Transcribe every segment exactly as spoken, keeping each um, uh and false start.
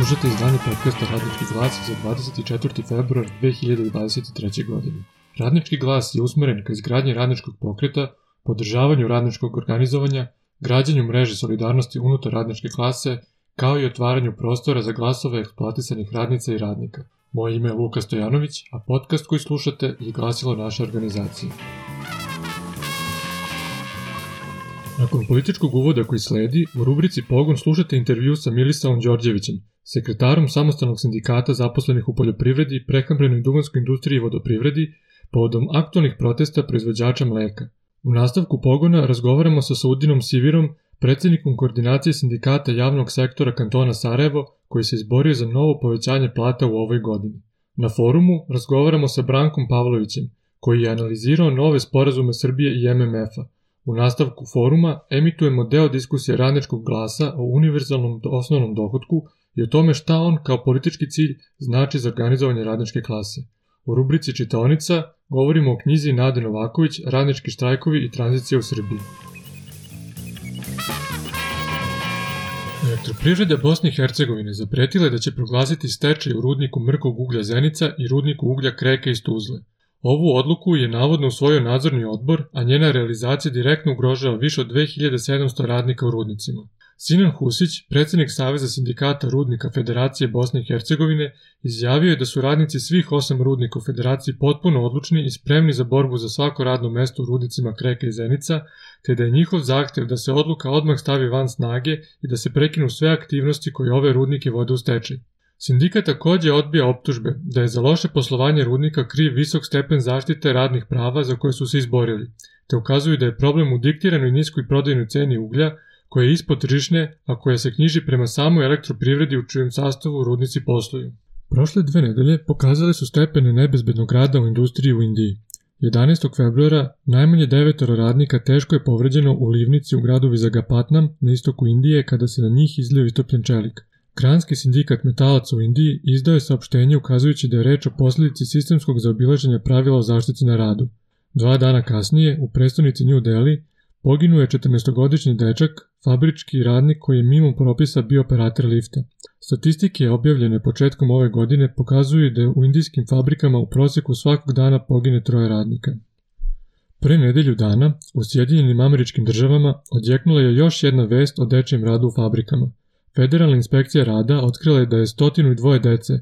Slušate izdanje podcasta Radnički glas za dvadeset četvrti februar dve hiljade dvadeset treće. godine. Radnički glas je usmeren ka izgradnji radničkog pokreta, podržavanju radničkog organizovanja, građenju mreže solidarnosti unutar radničke klase, kao i otvaranju prostora za glasove eksploatisanih radnica i radnika. Moje ime je Luka Stojanović, a podcast koji slušate je glasilo naše organizacije. Nakon političkog uvoda koji sledi, u rubrici Pogon slušate intervju sa Milisavom Đorđevićem, sekretarom samostalnog sindikata zaposlenih u poljoprivredi, prehrambenoj i duvanskoj industriji i vodoprivredi, povodom aktualnih protesta proizvođača mleka. U nastavku Pogona razgovaramo sa Saudinom Sivirom, predsjednikom koordinacije sindikata javnog sektora kantona Sarajevo, koji se izborio za novo povećanje plata u ovoj godini. Na forumu razgovaramo sa Brankom Pavlovićem, koji je analizirao nove sporazume Srbije i em em ef-a. U nastavku foruma emitujemo deo diskusije Radničkog glasa o univerzalnom osnovnom dohotku i o tome šta on kao politički cilj znači za organizovanje radničke klase. U rubrici Čitaonica govorimo o knjizi Nade Novaković Radnički štrajkovi i tranzicija u Srbiji. Elektroprivreda Bosne i Hercegovine zapretila je da će proglasiti stečaj u rudniku mrkog uglja Zenica i rudniku uglja Kreka iz Tuzle. Ovu odluku je navodno usvojio nadzorni odbor, a njena realizacija direktno ugrožava više od dve hiljade sedamsto radnika u rudnicima. Sinan Husić, predsjednik Saveza sindikata rudnika Federacije Bosne i Hercegovine, izjavio je da su radnici svih osam rudnika u Federaciji potpuno odlučni i spremni za borbu za svako radno mesto u rudnicima Kreka i Zenica, te da je njihov zahtjev da se odluka odmah stavi van snage i da se prekinu sve aktivnosti koje ove rudnike vode u stečaj. Sindikat također odbija optužbe da je za loše poslovanje rudnika kriv visok stepen zaštite radnih prava za koje su se izborili, te ukazuju da je problem u diktiranoj niskoj prodajnoj ceni uglja, koja je ispod tržišne, a koja se knjiži prema samoj elektroprivredi u čijem sastavu rudnici posluju. Prošle dve nedelje pokazale su stepene nebezbednog rada u industriji u Indiji. jedanaestog februara najmanje devetoro radnika teško je povređeno u livnici u gradu Vizagapatnam na istoku Indije kada se na njih izlio istopljen čelik. Granski sindikat metalaca u Indiji izdao je saopštenje ukazujući da je reč o posljedici sistemskog zaobilaženja pravila o zaštiti na radu. Dva dana kasnije, u prestonici New Delhi, poginuo je četrnaestogodišnji dečak, fabrički radnik koji je mimo propisa bio operator lifta. Statistike objavljene početkom ove godine pokazuju da u indijskim fabrikama u prosjeku svakog dana pogine troje radnika. Pre nedelju dana, u Sjedinjenim Američkim Državama odjeknula je još jedna vest o dečijem radu u fabrikama. Federalna inspekcija rada otkrila je da je stotinu i dvoje dece,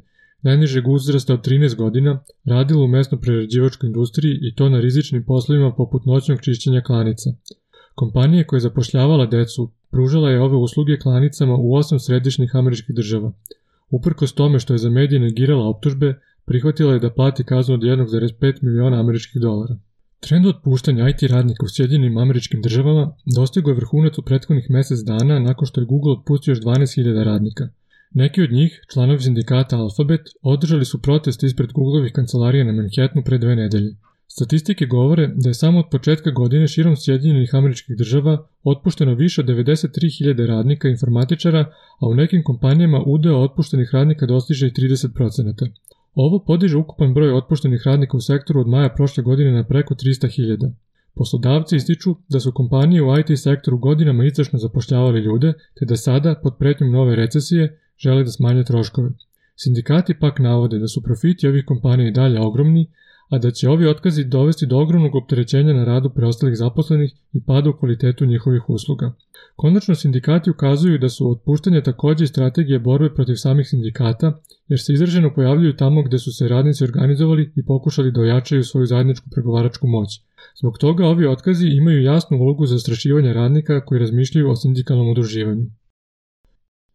najnižeg uzrasta od trinaest godina, radilo u mesno-prerađivačkoj industriji i to na rizičnim poslovima poput noćnog čišćenja klanica. Kompanija koja je zapošljavala decu pružala je ove usluge klanicama u osam središnjih američkih država. Uprkos tome što je za medije negirala optužbe, prihvatila je da plati kaznu od jedan zarez pet miliona američkih dolara. Trend otpuštanja i te radnika u Sjedinjenim Američkim Državama dostigao je vrhunac u prethodnih mjesec dana nakon što je Google otpustio još dvanaest hiljada radnika. Neki od njih, članovi sindikata Alphabet, održali su proteste ispred Googlovih kancelarija na Manhattanu pre dve nedelje. Statistike govore da je samo od početka godine širom Sjedinjenih Američkih Država otpušteno više od devedeset tri hiljade radnika i informatičara, a u nekim kompanijama udeo otpuštenih radnika dostiže i trideset procenata. Ovo podiže ukupan broj otpuštenih radnika u sektoru od maja prošle godine na preko trista hiljada. Poslodavci ističu da su kompanije u i te sektoru godinama izdašno zapošljavali ljude, te da sada, pod pretnjom nove recesije, žele da smanje troškove. Sindikati pak navode da su profiti ovih kompanija i dalje ogromni, a da će ovi otkazi dovesti do ogromnog opterećenja na radu preostalih zaposlenih i pada u kvalitetu njihovih usluga. Konačno, sindikati ukazuju da su otpuštanja također i strategije borbe protiv samih sindikata, jer se izraženo pojavljuju tamo gde su se radnici organizovali i pokušali da ojačaju svoju zajedničku pregovaračku moć. Zbog toga ovi otkazi imaju jasnu ulogu za zastrašivanje radnika koji razmišljaju o sindikalnom udruživanju.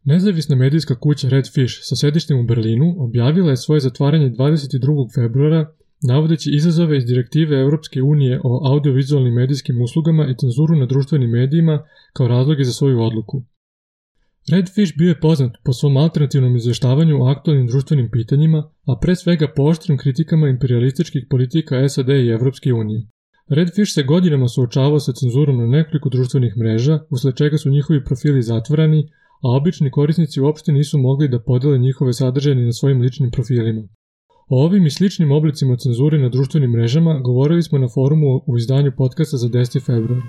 Nezavisna medijska kuća Red Fish sa sedištem u Berlinu objavila je svoje zatvaranje dvadeset drugog februara, navodeći izazove iz direktive Europske unije o audiovizualnim medijskim uslugama i cenzuru na društvenim medijima kao razloge za svoju odluku. Red Fish bio je poznat po svom alternativnom izvještavanju o aktualnim društvenim pitanjima, a pre svega po oštrim kritikama imperialističkih politika es a de i Europske unije. Red Fish se godinama suočavao sa cenzurom na nekoliko društvenih mreža, usled čega su njihovi profili zatvorani, a obični korisnici uopšte nisu mogli da podele njihove sadržaje ni na svojim ličnim profilima. O ovim i sličnim oblicima cenzure na društvenim mrežama govorili smo na forumu u izdanju podcasta za deseti februar.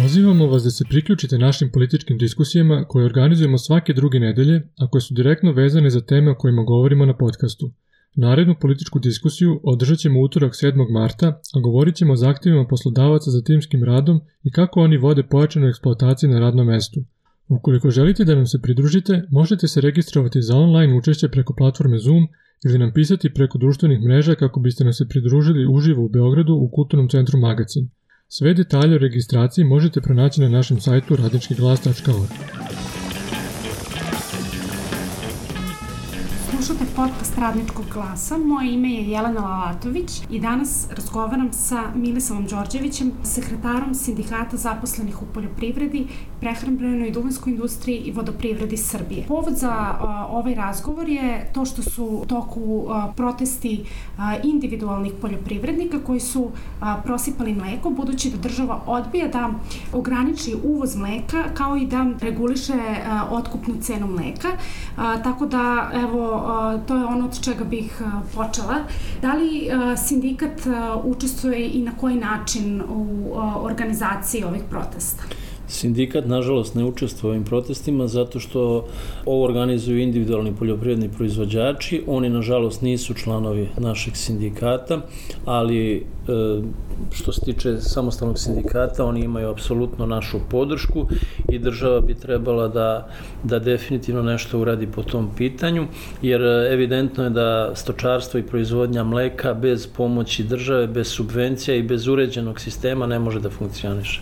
Pozivamo vas da se priključite našim političkim diskusijama koje organizujemo svake druge nedelje, a koje su direktno vezane za teme o kojima govorimo na podcastu. Narednu političku diskusiju održat ćemo utorak sedmog marta, a govorit ćemo o zahtjevima poslodavaca za timskim radom i kako oni vode pojačanu eksploataciju na radnom mestu. Ukoliko želite da nam se pridružite, možete se registrovati za online učešće preko platforme Zoom ili nam pisati preko društvenih mreža kako biste nam se pridružili uživo u Beogradu u Kulturnom centru Magacin. Sve detalje o registraciji možete pronaći na našem sajtu radnički glas tačka org. Slušate podcast Radničkog glasa, moje ime je Jelena Lalatović i danas razgovaram sa Milisavom Đorđevićem, sekretarom Sindikata zaposlenih u poljoprivredi, prehrambenoj i duvanskoj industriji i vodoprivredi Srbije. Povod za a, ovaj razgovor je to što su u toku a, protesti a, individualnih poljoprivrednika koji su a, prosipali mleko, budući da država odbija da ograniči uvoz mleka kao i da reguliše a, otkupnu cenu mleka. A, tako da, evo, to je ono od čega bih počela. Da li sindikat učestvuje i na koji način u organizaciji ovih protesta? Sindikat, nažalost, ne učestvuje u ovim protestima zato što ovo organizuju individualni poljoprivredni proizvođači. Oni, nažalost, nisu članovi našeg sindikata, ali što se tiče samostalnog sindikata, oni imaju apsolutno našu podršku i država bi trebala da, da definitivno nešto uradi po tom pitanju, jer evidentno je da stočarstvo i proizvodnja mleka bez pomoći države, bez subvencija i bez uređenog sistema ne može da funkcioniše.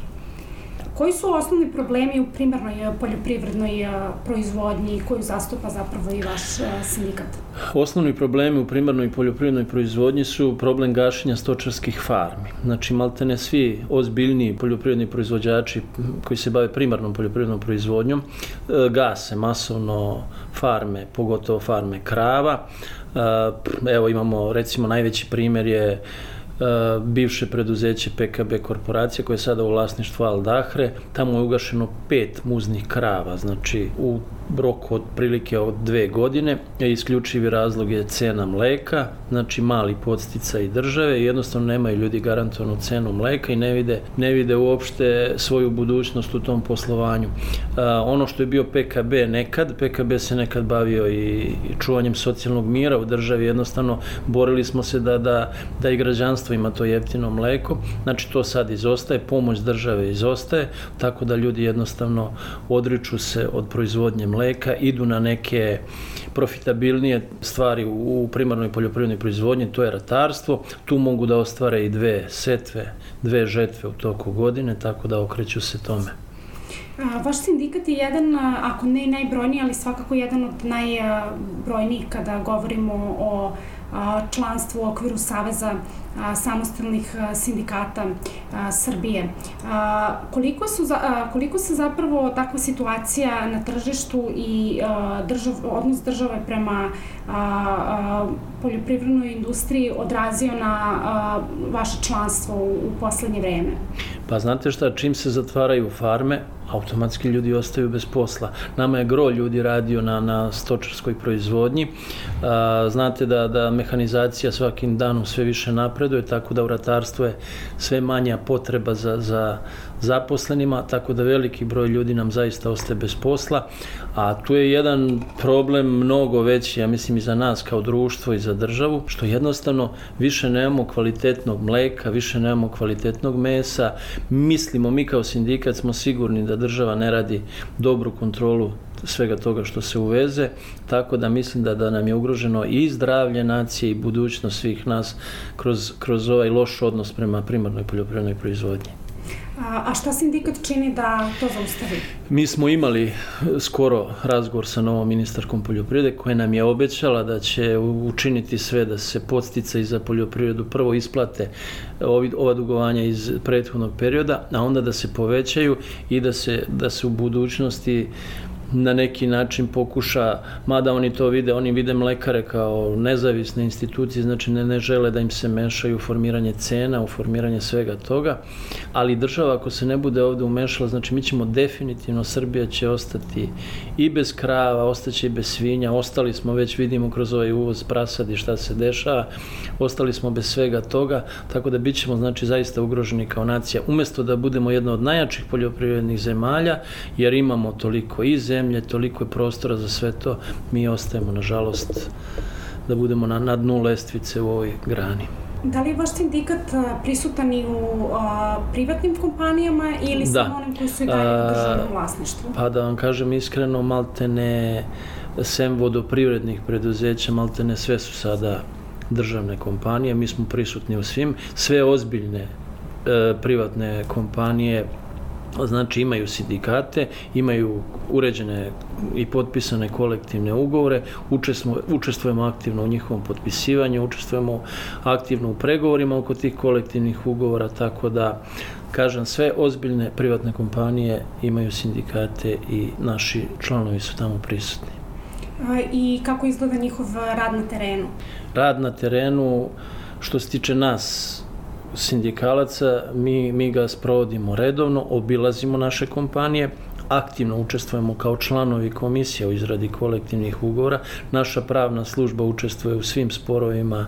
Koji su osnovni problemi u primarnoj poljoprivrednoj proizvodnji koju zastupa zapravo i vaš sindikat? Osnovni problemi u primarnoj poljoprivrednoj proizvodnji su problem gašenja stočarskih farmi. Znači, maltene svi ozbiljniji poljoprivredni proizvođači koji se bave primarnom poljoprivrednom proizvodnjom gase masovno farme, pogotovo farme krava. Evo imamo, recimo, najveći primjer je bivše preduzeće P K B korporacija koje je sada u vlasništvu Al Dahre. Tamo je ugašeno pet muznih krava, znači u roku od prilike od dve godine. Isključivi razlog je cena mleka, znači mali podsticaj države i jednostavno nemaju ljudi garantovanu cenu mleka i ne vide, ne vide uopšte svoju budućnost u tom poslovanju. A, ono što je bio P K B nekad, P K B se nekad bavio i čuvanjem socijalnog mira u državi, jednostavno borili smo se da, da, da i građanstvo ima to jeftino mleko, znači to sad izostaje, pomoć države izostaje, tako da ljudi jednostavno odriču se od proizvodnje mleka, idu na neke profitabilnije stvari u primarnoj poljoprivrednoj proizvodnji, to je ratarstvo, tu mogu da ostvare i dve setve, dve žetve u toku godine, tako da okreću se tome. Vaš sindikat je jedan, ako ne najbrojniji, ali svakako jedan od najbrojnijih kada govorimo o članstvu u okviru Saveza samostalnih sindikata Srbije. Koliko, su, koliko se zapravo takva situacija na tržištu i držav, odnos države prema poljoprivrednoj industriji odrazio na vaše članstvo u poslednje vreme? Pa znate šta, čim se zatvaraju farme, automatski ljudi ostaju bez posla. Nama je gro ljudi radio na, na stočarskoj proizvodnji. A, znate da, da mehanizacija svakim danom sve više napreduje, tako da u ratarstvu je sve manja potreba za, za zaposlenima, tako da veliki broj ljudi nam zaista ostaje bez posla. A tu je jedan problem mnogo veći, ja mislim i za nas kao društvo i za državu, što jednostavno više nemamo kvalitetnog mleka, više nemamo kvalitetnog mesa. Mislimo, mi kao sindikat smo sigurni da država ne radi dobru kontrolu svega toga što se uveze, tako da mislim da, da nam je ugroženo i zdravlje nacije i budućnost svih nas kroz, kroz ovaj loš odnos prema primarnoj poljoprivrednoj proizvodnji. A šta sindikat čini da to zaustavi? Mi smo imali skoro razgovor sa novom ministarkom poljoprivrede koja nam je obećala da će učiniti sve da se podsticaji za poljoprivredu prvo isplate ova dugovanja iz prethodnog perioda, a onda da se povećaju i da se, da se u budućnosti na neki način pokuša, mada oni to vide, oni vide mlekare kao nezavisne institucije, znači ne, ne žele da im se mešaju u formiranje cena, u formiranje svega toga, ali država ako se ne bude ovde umešala, znači mi ćemo definitivno, Srbija će ostati i bez krava, ostaće i bez svinja, ostali smo, već vidimo kroz ovaj uvoz prasadi šta se dešava, ostali smo bez svega toga, tako da bit ćemo znači zaista ugroženi kao nacija, umesto da budemo jedna od najjačih poljoprivrednih zemalja, jer imamo toliko i zemlje, toliko je prostora za sve to, mi ostajemo, nažalost, da budemo na, na dnu lestvice u ovoj grani. Da li je vaš sindikat prisutan i u a, privatnim kompanijama ili da. samo onim koji su i dalje u državnom vlasništvu? Pa da vam kažem iskreno, maltene sem vodoprivrednih preduzeća, maltene sve su sada državne kompanije, mi smo prisutni u svim, sve ozbiljne e, privatne kompanije, znači imaju sindikate, imaju uređene i potpisane kolektivne ugovore, učestvujemo, učestvujemo aktivno u njihovom potpisivanju, učestvujemo aktivno u pregovorima oko tih kolektivnih ugovora, tako da, kažem, sve ozbiljne privatne kompanije imaju sindikate i naši članovi su tamo prisutni. I kako izgleda njihov rad na terenu? Rad na terenu, što se tiče nas, sindikalaca, mi, mi ga sprovodimo redovno, obilazimo naše kompanije, aktivno učestvujemo kao članovi komisije u izradi kolektivnih ugovora. Naša pravna služba učestvuje u svim sporovima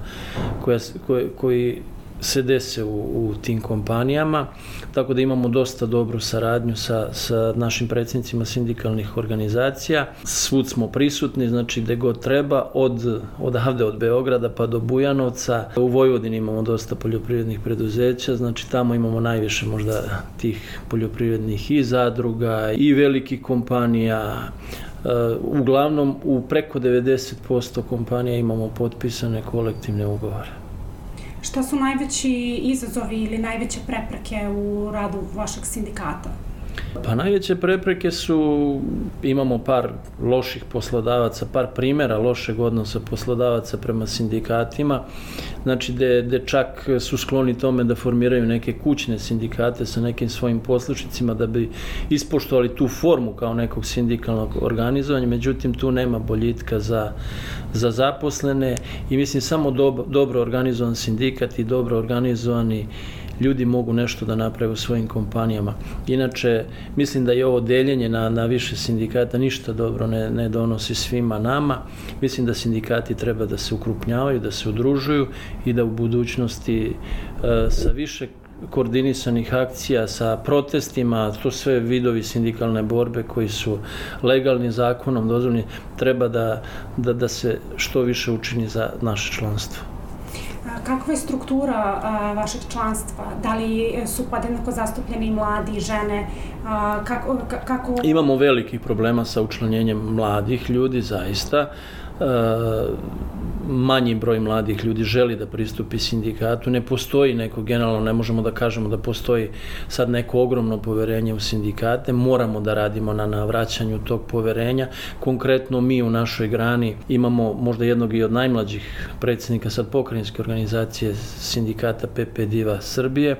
koja, koje, koji se dese u, u tim kompanijama, tako da imamo dosta dobru saradnju sa, sa našim predsjednicima sindikalnih organizacija. Svud smo prisutni, znači gde god treba, od, odavde od Beograda pa do Bujanovca. U Vojvodini imamo dosta poljoprivrednih preduzeća, znači tamo imamo najviše možda tih poljoprivrednih i zadruga i velikih kompanija. Uglavnom, u preko devedeset posto kompanija imamo potpisane kolektivne ugovore. Šta su najveći izazovi ili najveće prepreke u radu vašeg sindikata? Pa najveće prepreke su, imamo par loših poslodavaca, par primjera lošeg odnosa poslodavaca prema sindikatima, znači gde, gde čak su skloni tome da formiraju neke kućne sindikate sa nekim svojim poslušnicima da bi ispoštovali tu formu kao nekog sindikalnog organizovanja, međutim tu nema boljitka za, za zaposlene i mislim samo dobro, dobro organizovan sindikat i dobro organizovani ljudi mogu nešto da naprave u svojim kompanijama. Inače, mislim da je ovo deljenje na, na više sindikata ništa dobro ne, ne donosi svima nama. Mislim da sindikati treba da se ukrupnjavaju, da se udružuju i da u budućnosti e, sa više koordinisanih akcija, sa protestima, to sve vidovi sindikalne borbe koji su legalni zakonom dozvoljeni, treba da, da, da se što više učini za naše članstvo. Kakva je struktura a, vašeg članstva? Da li su podjednako zastupljeni mladi, žene? A, kako, kako... Imamo velikih problema sa učlanjenjem mladih ljudi, zaista. E, manji broj mladih ljudi želi da pristupi sindikatu. Ne postoji neko, generalno ne možemo da kažemo da postoji sad neko ogromno poverenje u sindikate. Moramo da radimo na, na vraćanju tog poverenja. Konkretno mi u našoj grani imamo možda jednog i od najmlađih predsjednika sad pokrajinske organizacije sindikata P P Diva Srbije,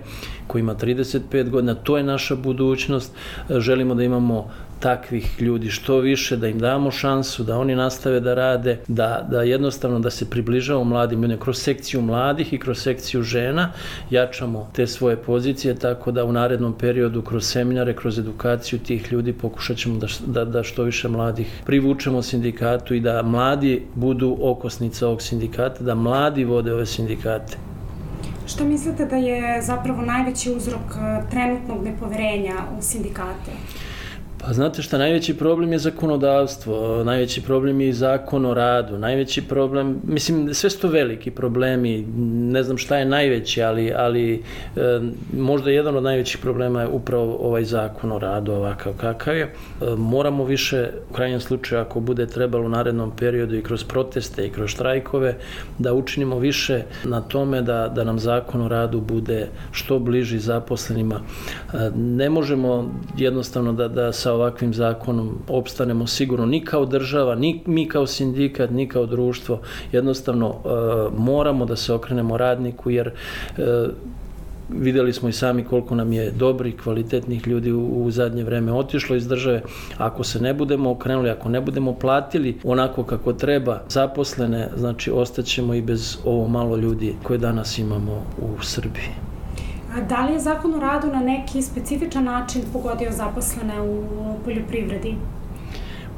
koji ima trideset pet godina. To je naša budućnost. Želimo da imamo takvih ljudi što više, da im damo šansu, da oni nastave da rade, da, da jednostavno da se približavamo mladim ljudima kroz sekciju mladih i kroz sekciju žena, jačamo te svoje pozicije, tako da u narednom periodu kroz seminare, kroz edukaciju tih ljudi pokušat ćemo da, da, da što više mladih privučemo sindikatu i da mladi budu okosnica ovog sindikata, da mladi vode ove sindikate. Što mislite da je zapravo najveći uzrok trenutnog nepoverenja u sindikate? Pa znate šta, najveći problem je zakonodavstvo, najveći problem je i zakon o radu, najveći problem, mislim, sve su to veliki problemi, ne znam šta je najveći, ali, ali e, možda jedan od najvećih problema je upravo ovaj zakon o radu, ovakav kakav je. E, moramo više, u krajnjem slučaju, ako bude trebalo u narednom periodu i kroz proteste i kroz štrajkove, da učinimo više na tome da, da nam zakon o radu bude što bliži zaposlenima. E, ne možemo jednostavno da, da sa ovakvim zakonom opstanemo sigurno ni kao država, ni mi kao sindikat, ni kao društvo. Jednostavno e, moramo da se okrenemo radniku jer e, vidjeli smo i sami koliko nam je dobrih, kvalitetnih ljudi u, u zadnje vreme otišlo iz države. Ako se ne budemo okrenuli, ako ne budemo platili onako kako treba zaposlene, znači ostaćemo i bez ovo malo ljudi koje danas imamo u Srbiji. A da li je Zakon o radu na neki specifičan način pogodio zaposlene u poljoprivredi?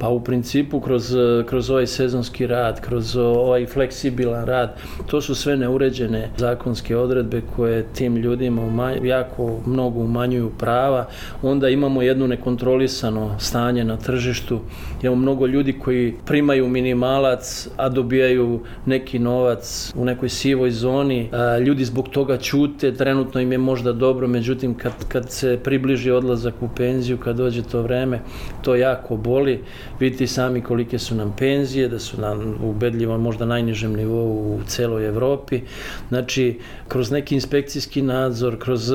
Pa u principu kroz, kroz ovaj sezonski rad, kroz ovaj fleksibilan rad, to su sve neuređene zakonske odredbe koje tim ljudima umanj, jako mnogo umanjuju prava. Onda imamo jedno nekontrolisano stanje na tržištu. Imamo mnogo ljudi koji primaju minimalac, a dobijaju neki novac u nekoj sivoj zoni. Ljudi zbog toga ćute, trenutno im je možda dobro, međutim kad, kad se približi odlazak u penziju, kad dođe to vreme, to jako boli. Vidite sami kolike su nam penzije, da su nam ubedljivo možda najnižem nivou u celoj Evropi. Znači, kroz neki inspekcijski nadzor, kroz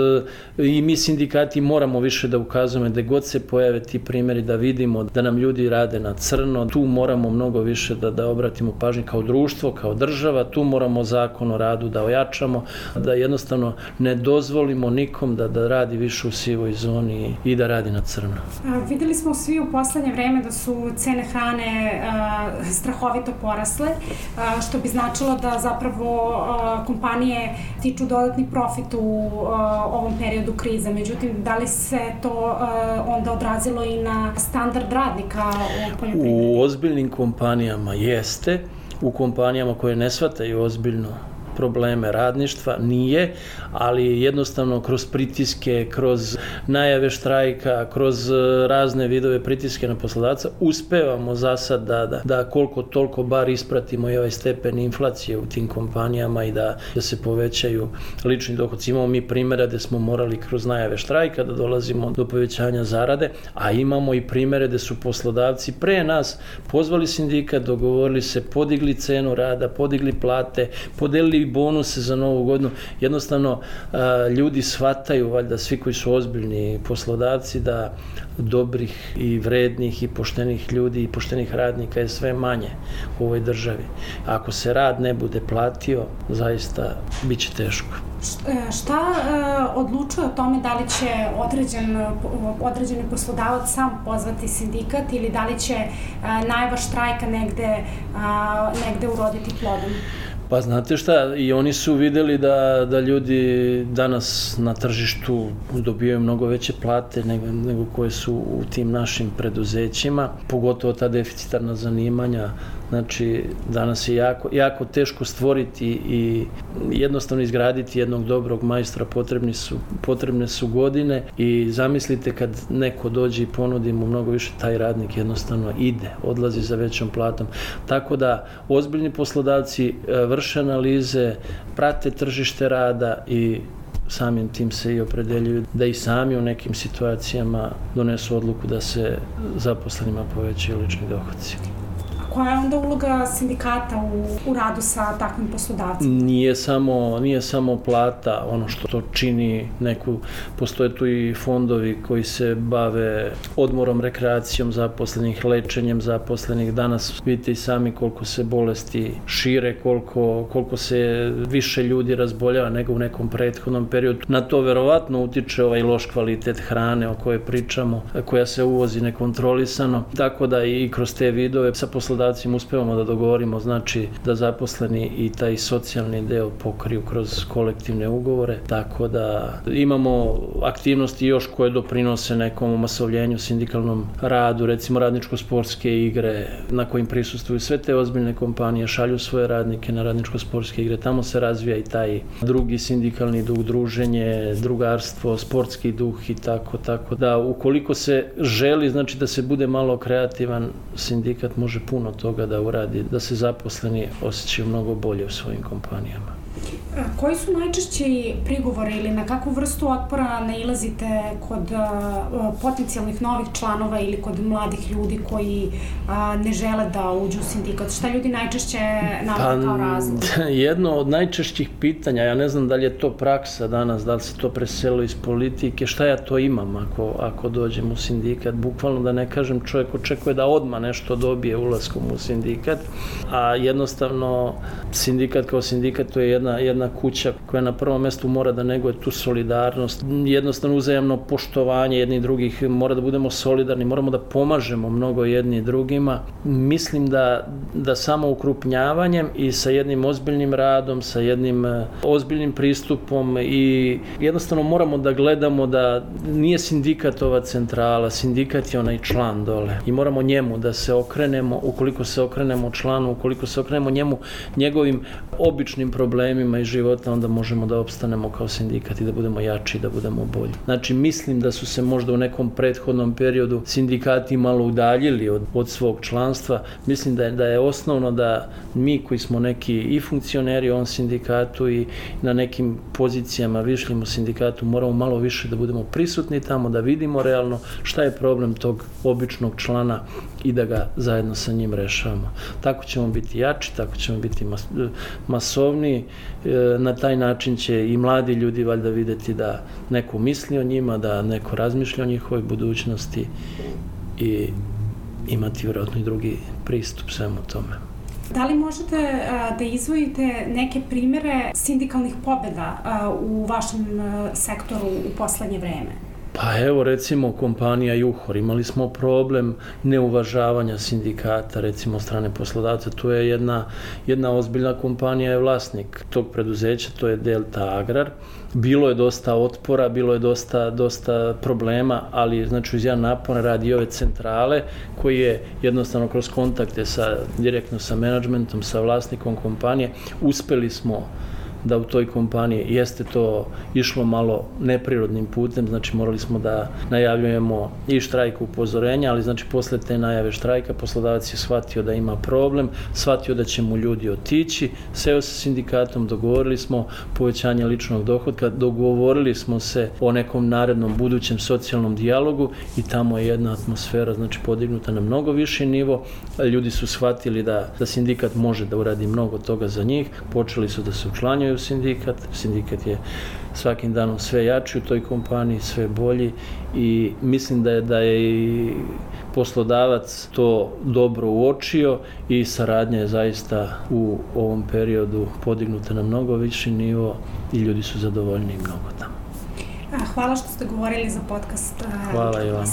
i mi sindikati moramo više da ukazujemo da god se pojave ti primjeri, da vidimo da nam ljudi rade na crno. Tu moramo mnogo više da, da obratimo pažnju kao društvo, kao država. Tu moramo Zakon o radu da ojačamo, da jednostavno ne dozvolimo nikom da, da radi više u sivoj zoni i da radi na crno. A, videli smo svi u poslednje vreme da su cene hrane a, strahovito porasle, a, što bi značilo da zapravo a, kompanije tiču dodatni profit u a, ovom periodu krize. Međutim, da li se to a, onda odrazilo i na standard radnika u poljoprivredi? U ozbiljnim kompanijama jeste, u kompanijama koje ne shvataju ozbiljno probleme radništva nije, ali jednostavno kroz pritiske, kroz najave štrajka, kroz razne vidove pritiske na poslodavca uspevamo za sad da, da, da koliko toliko bar ispratimo i ovaj stepen inflacije u tim kompanijama i da, da se povećaju lični dohodci. Imamo mi primjere gde smo morali kroz najave štrajka da dolazimo do povećanja zarade, a imamo i primjere gde su poslodavci pre nas pozvali sindikat, dogovorili se, podigli cenu rada, podigli plate, podelili bonuse za novu godinu. Jednostavno, ljudi shvataju, valjda svi koji su ozbiljni poslodavci, da dobrih i vrednih i poštenih ljudi i poštenih radnika je sve manje u ovoj državi. Ako se rad ne bude platio, zaista bit će teško. Šta uh, odlučuje o tome da li će određen, određeni poslodavac sam pozvati sindikat ili da li će uh, najava štrajka negde, uh, negde uroditi plodom? Pa znate šta, i oni su videli da, da ljudi danas na tržištu dobijaju mnogo veće plate nego, nego koje su u tim našim preduzećima, pogotovo ta deficitarna zanimanja. Znači, danas je jako, jako teško stvoriti i jednostavno izgraditi jednog dobrog majstora, potrebni su, potrebne su godine i zamislite kad neko dođe i ponudi mu mnogo više, taj radnik jednostavno ide, odlazi za većom platom. Tako da ozbiljni poslodavci vrše analize, prate tržište rada i samim tim se i opredeljuju da i sami u nekim situacijama donesu odluku da se zaposlenima povećaju lični dohodci. Koja je onda uloga sindikata u, u radu sa takvim poslodavcima? Nije samo, nije samo plata ono što to čini neku, postoje tu i fondovi koji se bave odmorom, rekreacijom zaposlenih, lečenjem zaposlenih. Danas vidite i sami koliko se bolesti šire, koliko, koliko se više ljudi razboljava nego u nekom prethodnom periodu. Na to verovatno utiče ovaj loš kvalitet hrane o kojoj pričamo, koja se uvozi nekontrolisano. Tako da i kroz te vidove sa poslodavcima uspevamo da dogovorimo, znači da zaposleni i taj socijalni deo pokriju kroz kolektivne ugovore, tako da imamo aktivnosti još koje doprinose nekom masovljenju, sindikalnom radu, recimo radničko-sportske igre na kojim prisustvuju sve te ozbiljne kompanije, šalju svoje radnike na radničko-sportske igre, tamo se razvija i taj drugi sindikalni duh, druženje, drugarstvo, sportski duh i tako, tako da ukoliko se želi, znači da se bude malo kreativan, sindikat može puno toga da uradi, da se zaposleni osjećaju mnogo bolje u svojim kompanijama. Koji su najčešći prigovori ili na kakvu vrstu otpora nailazite kod uh, potencijalnih novih članova ili kod mladih ljudi koji uh, ne žele da uđu u sindikat? Šta ljudi najčešće navode kao razlog? Jedno od najčešćih pitanja, ja ne znam da li je to praksa danas, da li se to preselilo iz politike, šta ja to imam ako, ako dođem u sindikat? Bukvalno da ne kažem, čovjek očekuje da odmah nešto dobije ulaskom u sindikat, a jednostavno sindikat kao sindikat to je jedna, jedna jedna kuća koja na prvom mjestu mora da neguje tu solidarnost, jednostavno uzajamno poštovanje jednih drugih, mora da budemo solidarni, moramo da pomažemo mnogo jedni drugima. Mislim da, da samo ukrupnjavanjem i sa jednim ozbiljnim radom, sa jednim ozbiljnim pristupom i jednostavno moramo da gledamo da nije sindikat ova centrala, sindikat je onaj član dole i moramo njemu da se okrenemo, ukoliko se okrenemo članu, ukoliko se okrenemo njemu, njegovim običnim problemima iz života, onda možemo da opstanemo kao sindikat i da budemo jači, da budemo bolji. Znači, mislim da su se možda u nekom prethodnom periodu sindikati malo udaljili od, od svog članstva. Mislim da je, da je osnovno da mi koji smo neki i funkcioneri u ovom sindikatu i na nekim pozicijama višljim u sindikatu moramo malo više da budemo prisutni tamo, da vidimo realno šta je problem tog običnog člana i da ga zajedno sa njim rešavamo. Tako ćemo biti jači, tako ćemo biti mas, masovniji. Na taj način će i mladi ljudi valjda vidjeti da neko misli o njima, da neko razmišlja o njihovoj budućnosti i imati vjerojatno i drugi pristup svemu tome. Da li možete uh, da izvojite neke primere sindikalnih pobjeda uh, u vašem uh, sektoru u poslednje vreme? Pa evo recimo kompanija Juhor, imali smo problem neuvažavanja sindikata recimo strane poslodavca, tu je jedna, jedna ozbiljna kompanija je vlasnik tog preduzeća, to je Delta Agrar. Bilo je dosta otpora, bilo je dosta, dosta problema, ali znači uz jedan napor radi ove centrale koji je jednostavno kroz kontakte sa, direktno sa menadžmentom, sa vlasnikom kompanije, uspeli smo da u toj kompaniji jeste to išlo malo neprirodnim putem, znači morali smo da najavljujemo i štrajk upozorenja, ali znači posle te najave štrajka poslodavac je shvatio da ima problem, shvatio da će mu ljudi otići, seo sa sindikatom, dogovorili smo povećanje ličnog dohotka, dogovorili smo se o nekom narednom budućem socijalnom dijalogu i tamo je jedna atmosfera znači podignuta na mnogo viši nivo, ljudi su shvatili da, da sindikat može da uradi mnogo toga za njih, počeli su da se učlanjuju u sindikat, sindikat je svakim danom sve jači u toj kompaniji, sve bolji i mislim da je, da je i poslodavac to dobro uočio i saradnja je zaista u ovom periodu podignuta na mnogo viši nivo i ljudi su zadovoljni mnogo tamo. Hvala što ste govorili za podcast. Hvala i vama.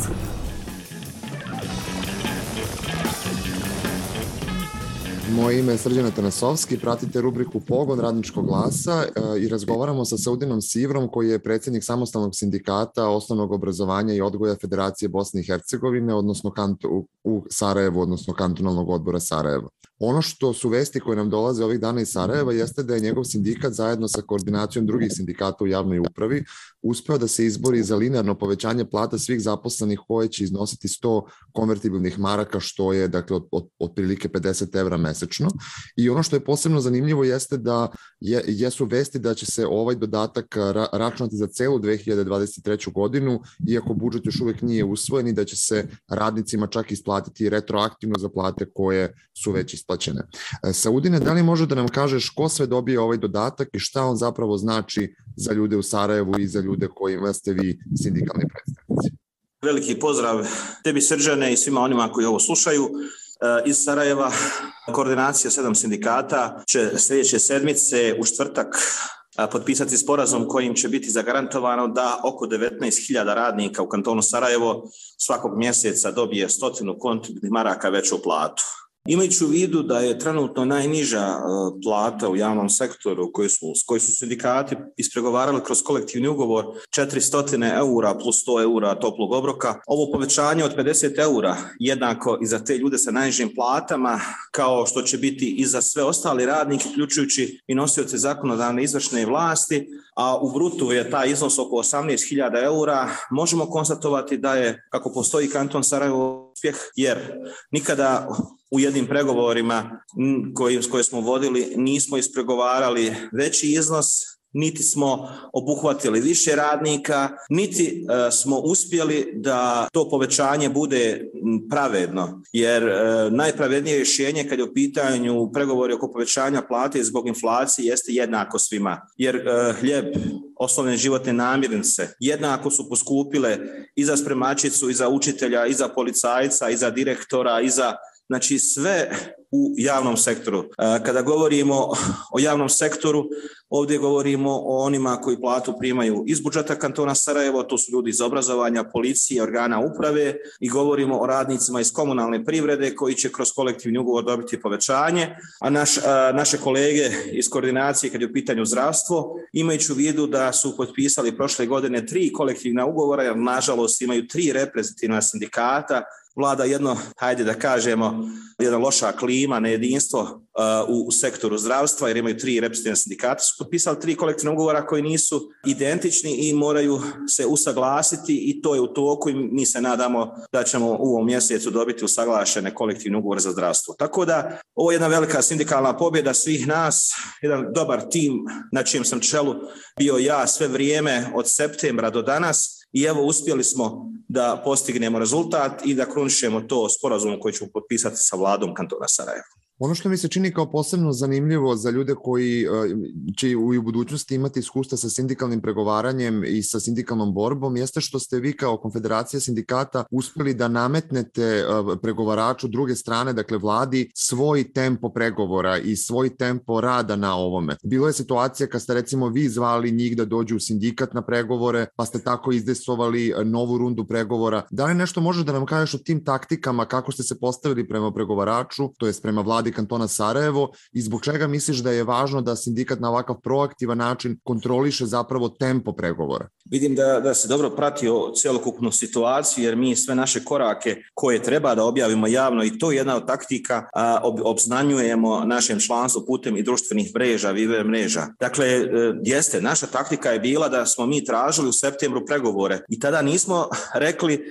Moje ime je Srđan Atanasovski, pratite rubriku Pogon radničkog glasa i razgovaramo sa Saudinom Sivrom koji je predsjednik samostalnog sindikata osnovnog obrazovanja i odgoja Federacije Bosne i Hercegovine, odnosno kantu, u Sarajevu, odnosno kantonalnog odbora Sarajevo. Ono što su vesti koje nam dolaze ovih dana iz Sarajeva jeste da je njegov sindikat zajedno sa koordinacijom drugih sindikata u javnoj upravi uspeo da se izbori za linearno povećanje plata svih zaposlenih koje će iznositi sto konvertibilnih maraka, što je dakle od, od, otprilike pedeset evra mesečno. I ono što je posebno zanimljivo jeste da je, jesu vesti da će se ovaj dodatak ra, računati za celu dve hiljade dvadeset treću godinu, iako budžet još uvek nije usvojen i da će se radnicima čak isplatiti retroaktivno za plate koje su već isplaćene. Saudine, da li može da nam kažeš ko sve dobije ovaj dodatak i šta on zapravo znači za ljude u Sarajevu i za ljude kojima ste vi sindikalni predstavnici? Veliki pozdrav tebi Srđane i svima onima koji ovo slušaju. Iz Sarajeva koordinacija sedam sindikata će sljedeće sedmice u četvrtak potpisati sporazum kojim će biti zagarantovano da oko devetnaest hiljada radnika u kantonu Sarajevo svakog mjeseca dobije stotinu kontibilnih maraka veću platu. Imajući u vidu da je trenutno najniža plata u javnom sektoru koju su, koji su sindikati ispregovarali kroz kolektivni ugovor četiristo eura plus sto eura toplog obroka, ovo povećanje od pedeset eura jednako i za te ljude sa najnižim platama kao što će biti i za sve ostali radnike, uključujući i nosioce zakonodavne izvršne vlasti, a u brutu je taj iznos oko osamnaest hiljada eura, možemo konstatovati da je, kako postoji kanton Sarajevo, uspjeh, jer nikada u jednim pregovorima koji, koje smo vodili nismo ispregovarali veći iznos, niti smo obuhvatili više radnika, niti uh, smo uspjeli da to povećanje bude pravedno, jer uh, najpravednije rješenje kad je u pitanju pregovori oko povećanja plate zbog inflacije jeste jednako svima, jer uh, hljeb, osnovne životne namirnice jednako su poskupile i za spremačicu, i za učitelja, i za policajca, i za direktora, i za, znači sve u javnom sektoru. Kada govorimo o javnom sektoru, ovdje govorimo o onima koji platu primaju iz budžeta kantona Sarajevo, to su ljudi iz obrazovanja, policije, organa uprave, i govorimo o radnicima iz komunalne privrede koji će kroz kolektivni ugovor dobiti povećanje, a naš, a, naše kolege iz koordinacije kad je u pitanju zdravstvo, imajući u vidu da su potpisali prošle godine tri kolektivna ugovora, jer nažalost imaju tri reprezentativna sindikata, vlada jedno, hajde da kažemo, jedna loša klima, nejedinstvo uh, u sektoru zdravstva, jer imaju tri reprezentativna sindikata, su potpisali tri kolektivna ugovora koji nisu identični i moraju se usaglasiti, i to je u toku i mi se nadamo da ćemo u ovom mjesecu dobiti usaglašene kolektivne ugovore za zdravstvo. Tako da ovo je jedna velika sindikalna pobjeda svih nas, jedan dobar tim na čijem sam čelu bio ja sve vrijeme od septembra do danas. I evo, uspjeli smo da postignemo rezultat i da krunišemo to sporazum koji ćemo potpisati sa vladom kantona Sarajevo. Ono što mi se čini kao posebno zanimljivo za ljude koji će u budućnosti imati iskustva sa sindikalnim pregovaranjem i sa sindikalnom borbom jeste što ste vi kao Konfederacija sindikata uspjeli da nametnete pregovaraču druge strane, dakle vladi, svoj tempo pregovora i svoj tempo rada na ovome. Bilo je situacija kad ste recimo vi zvali njih da dođu u sindikat na pregovore, pa ste tako izdesovali novu rundu pregovora. Da li nešto može da nam kažeš o tim taktikama, kako ste se postavili prema pregovaraču, to jest prema vladi kantona Sarajevo, i zbog čega misliš da je važno da sindikat na ovakav proaktivan način kontroliše zapravo tempo pregovora? Vidim da, da se dobro pratio celokupnu situaciju, jer mi sve naše korake koje treba da objavimo javno, i to je jedna od taktika, a, ob, obznanjujemo našem članstvu putem i društvenih mreža, Viber mreža. Dakle, jeste, naša taktika je bila da smo mi tražili u septembru pregovore i tada nismo rekli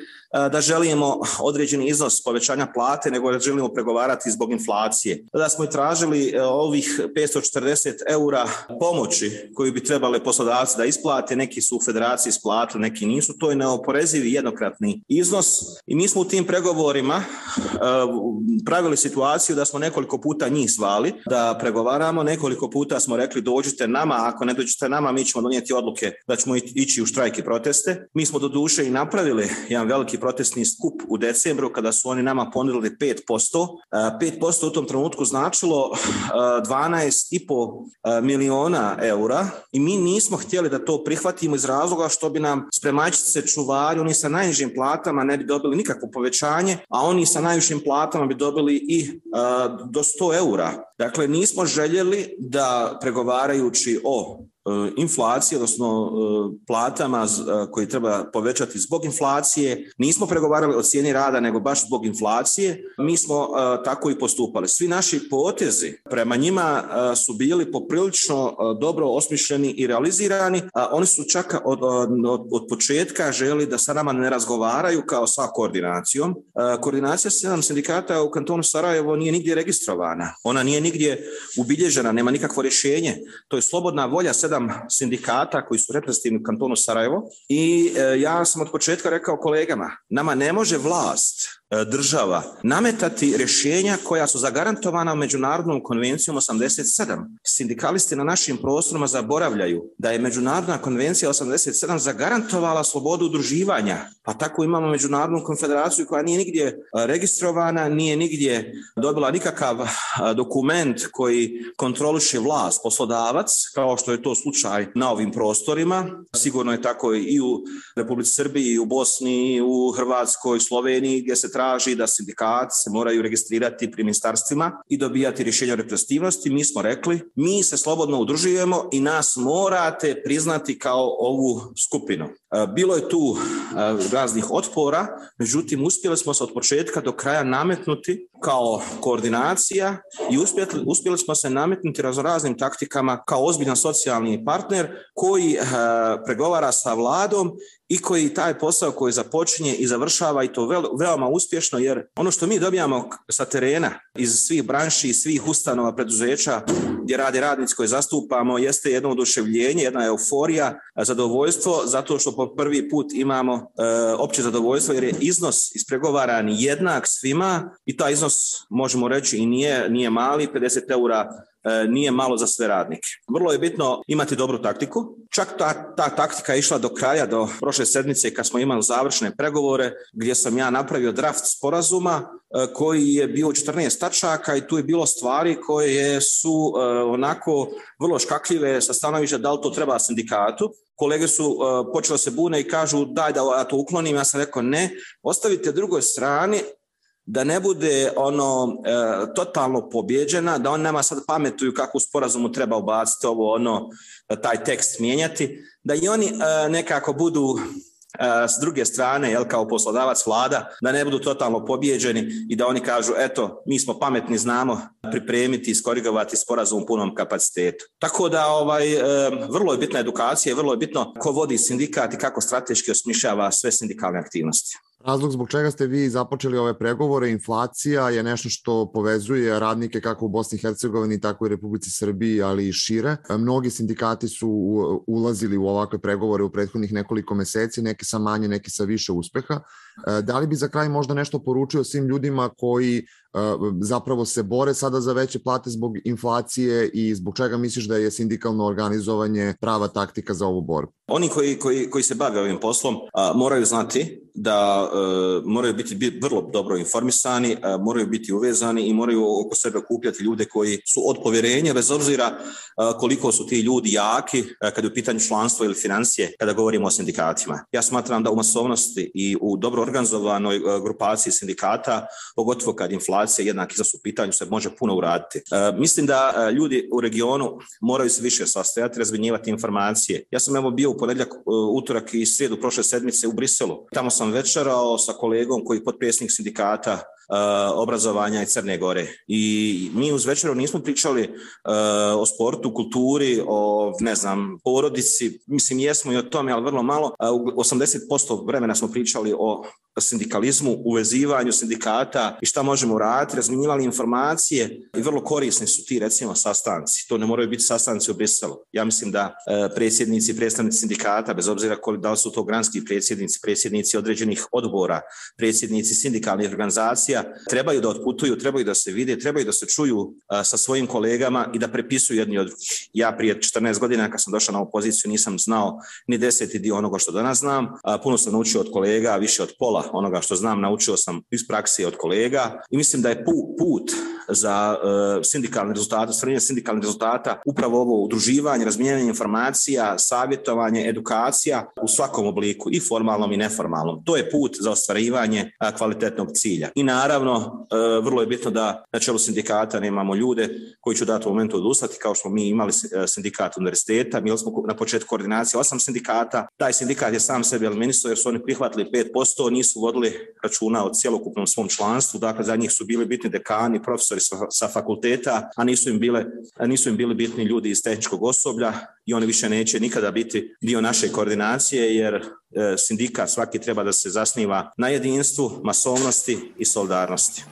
da želimo određeni iznos povećanja plate, nego da želimo pregovarati zbog inflacije. Tada smo i tražili ovih petsto četrdeset eura pomoći koju bi trebali poslodavci da isplate, neki su u federaciji isplatili, neki nisu, to je neoporezivi jednokratni iznos, i mi smo u tim pregovorima pravili situaciju da smo nekoliko puta njih zvali da pregovaramo, nekoliko puta smo rekli dođite nama, ako ne dođete nama mi ćemo donijeti odluke da ćemo ići u štrajk i proteste. Mi smo do duše i napravili jedan veliki protestni skup u decembru kada su oni nama ponudili pet posto. pet posto u tom trenutku značilo dvanaest i po miliona eura i mi nismo htjeli da to prihvatimo iz razloga što bi nam spremačice, čuvari, oni sa najnižim platama ne bi dobili nikakvo povećanje, a oni sa najvišim platama bi dobili i do sto eura. Dakle, nismo željeli da pregovarajući o inflacije, odnosno platama koji treba povećati zbog inflacije, nismo pregovarali o cijeni rada, nego baš zbog inflacije. Mi smo tako i postupali. Svi naši potezi prema njima su bili poprilično dobro osmišljeni i realizirani. Oni su čak od, od, od početka želi da sa nama ne razgovaraju kao sa koordinacijom. Koordinacija sedam sindikata u kantonu Sarajevo nije nigdje registrovana. Ona nije nigdje ubilježena, nema nikakvo rješenje. To je slobodna volja sedam sindikata koji su reprezentativni u kantonu Sarajevo i e, ja sam od početka rekao kolegama, nama ne može vlast, e, država nametati rješenja koja su zagarantovana Međunarodnom konvencijom osamdeset sedam. Sindikalisti na našim prostorima zaboravljaju da je Međunarodna konvencija osamdeset sedam zagarantovala slobodu udruživanja, pa tako imamo Međunarodnu konfederaciju koja nije nigdje registrovana, nije nigdje dobila nikakav dokument koji kontroliše vlast, poslodavac, kao što je to slučaj na ovim prostorima. Sigurno je tako i u Republici Srbiji, i u Bosni, i u Hrvatskoj, Sloveniji, gdje se traži da sindikati se moraju registrirati pri ministarstvima i dobijati rješenja o reprezentativnosti. Mi smo rekli, mi se slobodno udružujemo i nas morate priznati kao ovu skupinu. Bilo je tu raznih otpora, međutim uspjeli smo se od početka do kraja nametnuti kao koordinacija i uspjeli, uspjeli smo se nametnuti raznoraznim taktikama kao ozbiljan socijalni partner koji e, pregovara sa vladom i koji taj posao koji započinje i završava, i to vel, veoma uspješno, jer ono što mi dobijamo sa terena iz svih branši i svih ustanova, preduzeća gdje rade radnici koje zastupamo jeste jedno oduševljenje, jedna euforija, zadovoljstvo, zato što po prvi put imamo e, opće zadovoljstvo jer je iznos ispregovaran jednak svima i taj iznos možemo reći i nije, nije mali, pedeset eura nije malo za sve radnike. Vrlo je bitno imati dobru taktiku. Čak ta, ta taktika je išla do kraja, do prošle sedmice kad smo imali završne pregovore gdje sam ja napravio draft sporazuma koji je bio četrnaest tačaka i tu je bilo stvari koje su onako vrlo škakljive sa stanovišta da li to treba sindikatu. Kolege su uh, počeli se bune i kažu daj da ja to uklonim, ja sam rekao ne, ostavite drugoj strani da ne bude ono uh, totalno pobjeđena, da on nama sad pametuju kako u sporazumu treba ubaciti ovo, ono, taj tekst mijenjati, da i oni uh, nekako budu uh, s druge strane, jel, kao poslodavac vlada, da ne budu totalno pobjeđeni i da oni kažu eto, mi smo pametni, znamo pripremiti i skorigovati sporazum u punom kapacitetu. Tako da ovaj, vrlo je bitna edukacija i vrlo je bitno ko vodi sindikat i kako strateški osmišljava sve sindikalne aktivnosti. Razlog zbog čega ste vi započeli ove pregovore, inflacija je nešto što povezuje radnike kako u Bosni i Hercegovini, tako i Republici Srbiji, ali i šire. Mnogi sindikati su ulazili u ovakve pregovore u prethodnih nekoliko meseci, neki sa manje, neki sa više uspeha. Da li bi za kraj možda nešto poručio svim ljudima koji zapravo se bore sada za veće plate zbog inflacije i zbog čega misliš da je sindikalno organizovanje prava taktika za ovu borbu? Oni koji, koji, koji se bave ovim poslom a, moraju znati da a, moraju biti vrlo dobro informisani, a, moraju biti uvezani i moraju oko sebe okupljati ljude koji su od povjerenja, bez obzira a, koliko su ti ljudi jaki a, kada je u pitanju članstvo ili financije, kada govorimo o sindikatima. Ja smatram da u masovnosti i u dobro organizovanoj a, grupaciji sindikata, pogotovo kad inflacija jednaki za su pitanju, se može puno uraditi. E, mislim da e, ljudi u regionu moraju se više sastojati, razmjenjivati informacije. Ja sam evo bio u ponedjeljak, utorak i srijedu prošle sedmice u Briselu. Tamo sam večerao sa kolegom koji je potpredsjednik sindikata Uh, obrazovanja i Crne Gore. I mi uz večeru nismo pričali uh, o sportu, kulturi, o, ne znam, porodici, mislim jesmo i o tome, ali vrlo malo. Uh, osamdeset posto vremena smo pričali o sindikalizmu, uvezivanju sindikata i šta možemo raditi, razmjenjivali informacije i vrlo korisni su ti, recimo, sastanci. To ne moraju biti sastanci u Briselu. Ja mislim da uh, predsjednici i predstavnici sindikata, bez obzira da li su to granski predsjednici, predsjednici određenih odbora, predsjednici sindikalnih organizacija, trebaju da otputuju, trebaju da se vide, trebaju da se čuju a, sa svojim kolegama i da prepisuju jedni od drugih. Ja prije četrnaest godina kad sam došao na ovu poziciju nisam znao ni deseti dio onoga što danas znam. A, puno sam naučio od kolega, više od pola onoga što znam naučio sam iz prakse od kolega i mislim da je pu, put za uh, sindikalne rezultate, ostvarenje sindikalnih rezultata upravo ovo udruživanje, razmijenjanje informacija, savjetovanje, edukacija u svakom obliku, i formalnom i neformalnom. To je put za ostvarivanje a, kvalitetnog cilja. I naravno, uh, vrlo je bitno da na čelu sindikata nemamo ljude koji će u datom momentu odustati, kao što smo mi imali sindikat univerziteta. Mi smo na početku koordinacije osam sindikata. Taj sindikat je sam sebe eliminisao jer su oni prihvatili pet posto, nisu vodili računa o cjelokupnom svom članstvu. Dakle, za njih su bili bitni dekani, profesori sa fakulteta, a nisu im, bile, nisu im bili bitni ljudi iz tehničkog osoblja i oni više neće nikada biti dio naše koordinacije jer e, sindikat svaki treba da se zasniva na jedinstvu, masovnosti i solidarnosti.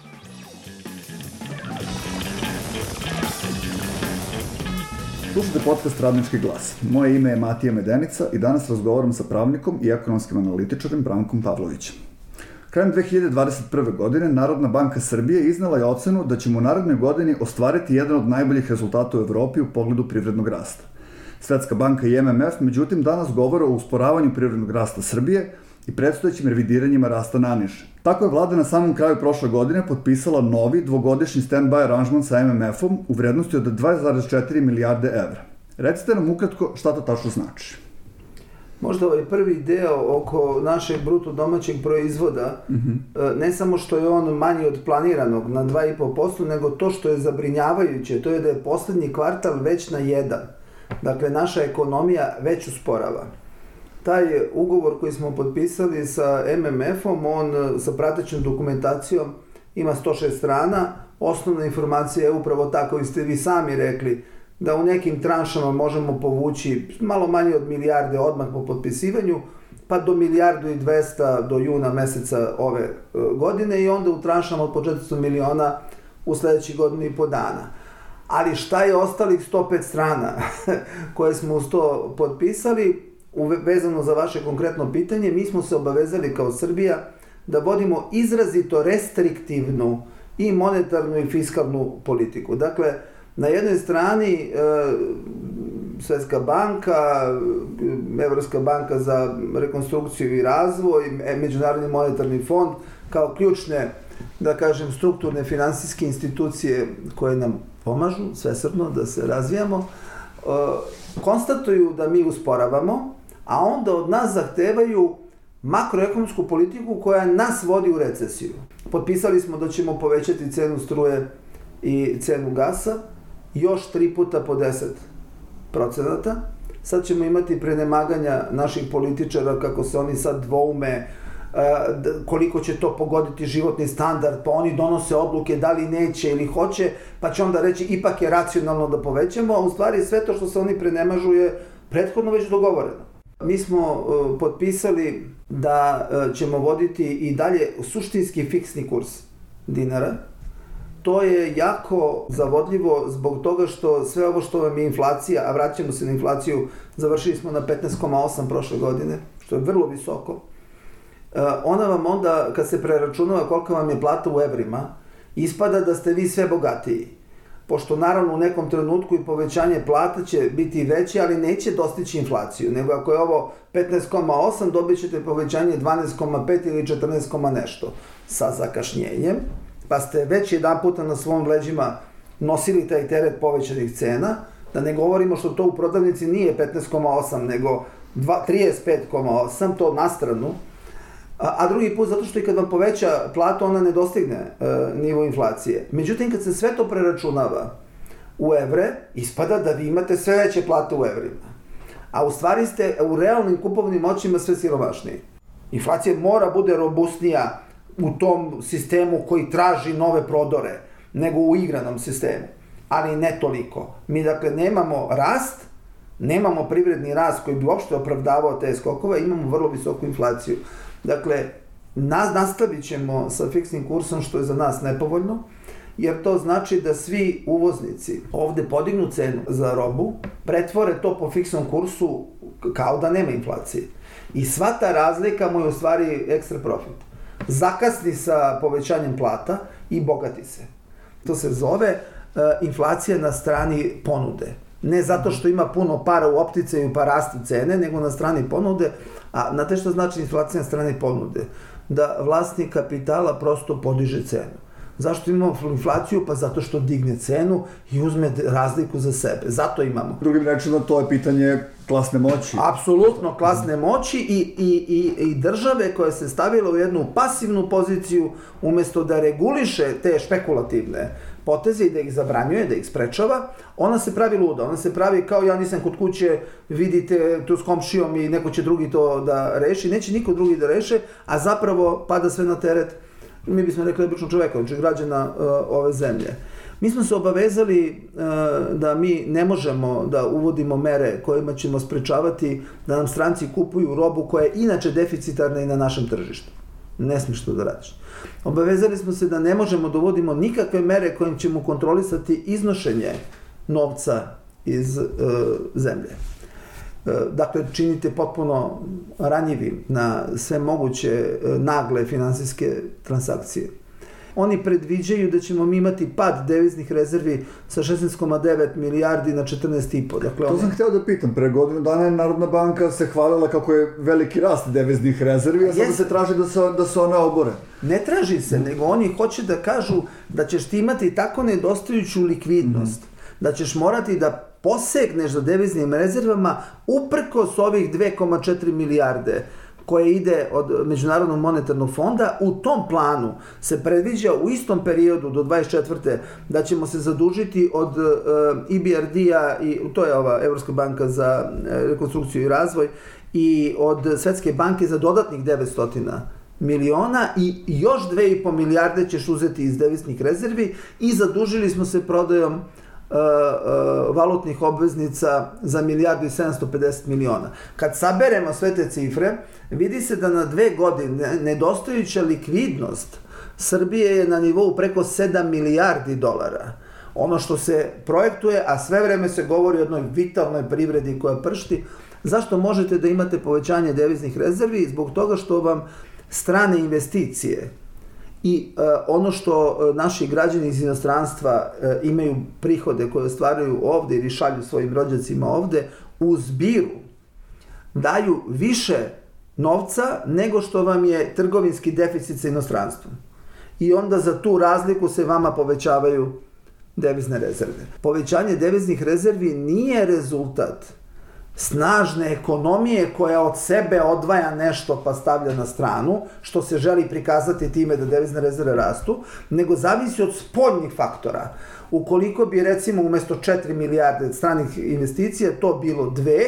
Slušajte podcast Radnički glas. Moje ime je Matija Medenica i danas razgovaram sa pravnikom i ekonomskim analitičarem Brankom Pavlovićem. Krajem dve hiljade dvadeset prve. godine Narodna banka Srbije iznela je ocenu da ćemo u narednoj godini ostvariti jedan od najboljih rezultata u Evropi u pogledu privrednog rasta. Svetska banka i M M F, međutim, danas govore o usporavanju privrednog rasta Srbije i predstojećim revidiranjima rasta naniže. Tako je vlada na samom kraju prošle godine potpisala novi dvogodišnji stand-by aranžman sa M M F-om u vrednosti od dva zarez četiri milijarde evra. Recite nam ukratko šta to tačno znači. Možda ovaj prvi deo oko našeg bruto domaćeg proizvoda, mm-hmm. ne samo što je on manji od planiranog na dva zarez pet posto, nego to što je zabrinjavajuće, to je da je poslednji kvartal već na jedan. Dakle, naša ekonomija već usporava. Taj ugovor koji smo potpisali sa M M F-om, on sa pratećom dokumentacijom ima sto šest strana. Osnovna informacija je upravo tako, koji ste vi sami rekli, da u nekim tranšama možemo povući malo manje od milijarde odmah po potpisivanju, pa do milijardu i dvesta do juna meseca ove godine i onda u tranšama od po četiristo miliona u sledećih godinu i po dana. Ali šta je ostalih sto pet strana koje smo uz to potpisali, vezano za vaše konkretno pitanje, mi smo se obavezali kao Srbija da vodimo izrazito restriktivnu i monetarnu i fiskalnu politiku. Dakle, Na jednoj strani e, Svetska banka, Evropska banka za rekonstrukciju i razvoj, Međunarodni monetarni fond kao ključne, da kažem, strukturne finansijske institucije koje nam pomažu svesrdno da se razvijamo, e, konstatuju da mi usporavamo, a onda od nas zahtevaju makroekonomsku politiku koja nas vodi u recesiju. Potpisali smo da ćemo povećati cenu struje i cenu gasa još tri puta po deset procenata. Sad ćemo imati prenemaganja naših političara kako se oni sad dvoume koliko će to pogoditi životni standard, pa oni donose odluke da li neće ili hoće, pa će onda reći ipak je racionalno da povećamo, a u stvari sve to što se oni prenemažu je prethodno već dogovoreno. Mi smo uh, potpisali da uh, ćemo voditi i dalje suštinski fiksni kurs dinara. To je jako zavodljivo zbog toga što sve ovo što vam je inflacija, a vraćamo se na inflaciju, završili smo na petnaest zarez osam prošle godine, što je vrlo visoko. Uh, ona vam onda, kad se preračunava kolika vam je plata u evrima, ispada da ste vi sve bogatiji. Pošto naravno u nekom trenutku i povećanje plata će biti veće, ali neće dostići inflaciju, nego ako je ovo petnaest zarez osam, dobit ćete povećanje dvanaest zarez pet ili četrnaest nešto sa zakašnjenjem, pa ste već jedan puta na svom leđima nosili taj teret povećanih cena, da ne govorimo što to u prodavnici nije petnaest zarez osam, nego trideset pet zarez osam, to na stranu, a, a drugi put zato što i kad vam poveća platu, ona ne dostigne e, nivo inflacije. Međutim, kad se sve to preračunava u evre, ispada da vi imate sve veće plate u evrima. A u stvari ste u realnim kupovnim moćima sve siromašniji. Inflacija mora bude robustnija u tom sistemu koji traži nove prodore, nego u igranom sistemu. Ali ne toliko. Mi dakle nemamo rast, nemamo privredni rast koji bi uopšte opravdavao te skokove, imamo vrlo visoku inflaciju. Dakle, nas nastavit ćemo sa fiksnim kursom, što je za nas nepovoljno, jer to znači da svi uvoznici ovde podignu cenu za robu, pretvore to po fiksnom kursu kao da nema inflacije. I sva ta razlika mu je u stvari ekstra profit. Zakasni sa povećanjem plata i bogati se. To se zove uh, inflacija na strani ponude. Ne zato što ima puno para u opticaju pa rastu cene, nego na strani ponude. A znate što znači inflacija na strani ponude? Da vlasnik kapitala prosto podiže cenu. Zašto imamo inflaciju? Pa zato što digne cenu i uzme razliku za sebe. Zato imamo. Drugim rečima, to je pitanje klasne moći. Apsolutno klasne moći i, i, i, i države koja se stavila u jednu pasivnu poziciju umjesto da reguliše te špekulativne poteze i da ih zabranjuje, da ih sprečava, ona se pravi luda, ona se pravi kao ja nisam kod kuće, vidite tu s komšijom i neko će drugi to da reši, neće niko drugi da reše, a zapravo pada sve na teret, mi bismo rekli obično čoveka, znači građana uh, ove zemlje. Mi smo se obavezali uh, da mi ne možemo da uvodimo mere kojima ćemo sprečavati da nam stranci kupuju robu koja je inače deficitarna i na našem tržištu. Ne smiješ to da radiš. Obavezali smo se da ne možemo da uvodimo nikakve mere kojim ćemo kontrolisati iznošenje novca iz e, zemlje. E, dakle, činite potpuno ranjivim na sve moguće e, nagle finansijske transakcije. Oni predviđaju da ćemo mi imati pad deviznih rezervi sa šesnaest zarez devet milijardi na četrnaest zarez pet. Dakle, to one... sam hteo da pitam. Pre godinu dana je Narodna banka se hvalila kako je veliki rast deviznih rezervi, a sada se traži da se, da se one obore. Ne traži se, nego oni hoće da kažu da ćeš ti imati tako nedostajuću likvidnost, mm-hmm. da ćeš morati da posegneš za deviznim rezervama uprkos ovih dve zarez četiri milijarde koje ide od Međunarodnog monetarnog fonda. U tom planu se predviđa u istom periodu do dvadeset četvrte da ćemo se zadužiti od uh, E B R D-a, i to je ova Evropska banka za rekonstrukciju i razvoj, i od Svetske banke za dodatnih devetsto miliona i još dve i po milijarde ćeš uzeti iz deviznih rezervi i zadužili smo se prodajom Uh, uh, valutnih obveznica za milijardu i sedamsto pedeset miliona. Kad saberemo sve te cifre, vidi se da na dve godine nedostajuća likvidnost Srbije je na nivou preko sedam milijardi dolara. Ono što se projektuje, a sve vreme se govori o jednoj vitalnoj privredi koja pršti, zašto možete da imate povećanje deviznih rezervi? Zbog toga što vam strane investicije i uh, ono što uh, naši građani iz inostranstva uh, imaju prihode koje ostvaruju ovde ili šalju svojim rođacima ovde, u zbiru daju više novca nego što vam je trgovinski deficit sa inostranstvom. I onda za tu razliku se vama povećavaju devizne rezerve. Povećanje deviznih rezervi nije rezultat snažne ekonomije koja od sebe odvaja nešto pa stavlja na stranu, što se želi prikazati time da devizne rezerve rastu, nego zavisi od spoljnih faktora. Ukoliko bi recimo umesto četiri milijarde stranih investicija to bilo dve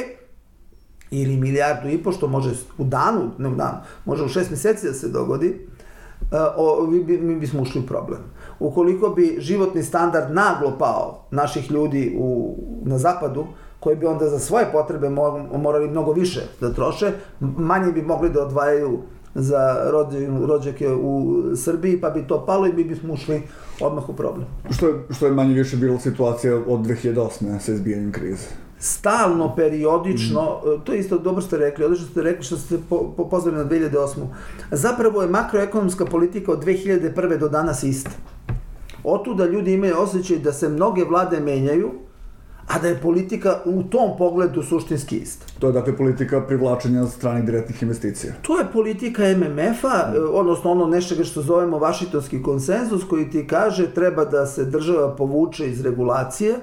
ili milijardu i po, što može u danu, ne u danu, može u šest meseci da se dogodi, o, mi bismo ušli u problem. Ukoliko bi životni standard naglo pao naših ljudi u, na zapadu, koji bi onda za svoje potrebe morali mnogo više da troše, manje bi mogli da odvajaju za rođake u Srbiji, pa bi to palo i mi bismo ušli odmah u problem. Što je, što je manje više bila situacija od dve hiljade osme sa izbijanjem krize? Stalno, periodično, mm. to je isto dobro ste rekli, odlično ste rekli što ste po, po, pozvali na dve hiljade osmu. Zapravo je makroekonomska politika od dve hiljade prve do danas ista. Otuda ljudi imaju osjećaj da se mnoge vlade menjaju, a da je politika u tom pogledu suštinski ista. To je dakle politika privlačenja stranih direktnih investicija. To je politika em em ef-a, odnosno ono nečega što zovemo Vašingtonski konsenzus, koji ti kaže treba da se država povuče iz regulacije,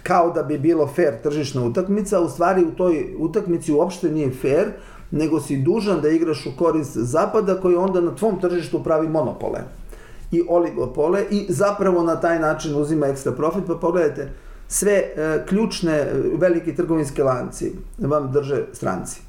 kao da bi bilo fair tržišna utakmica, a u stvari u toj utakmici uopšte nije fair, nego si dužan da igraš u korist Zapada, koji onda na tvom tržištu pravi monopole i oligopole i zapravo na taj način uzima ekstra profit. Pa pogledajte, sve e, ključne veliki trgovinske lanci vam drže stranci.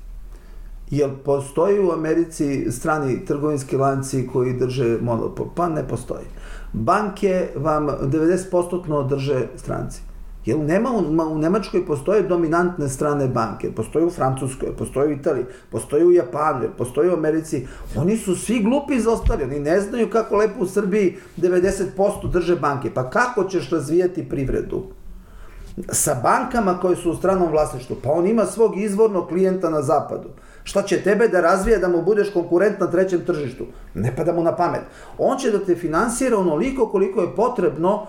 Jel postoji u Americi strani trgovinski lanci koji drže monopol? Pa ne postoji. Banke vam devedeset posto drže stranci. Jel nema u, u Nemačkoj postoje dominantne strane banke, postoje u Francuskoj, postoje u Italiji, postoje u Japanu, postoje u Americi. Oni su svi glupi izostali, oni ne znaju kako lepo u Srbiji devedeset posto drže banke. Pa kako ćeš razvijati privredu sa bankama koje su u stranom vlasništvu? Pa on ima svog izvornog klijenta na zapadu. Šta će tebe da razvija da mu budeš konkurent na trećem tržištu? Ne pada mu na pamet. On će da te finansira onoliko koliko je potrebno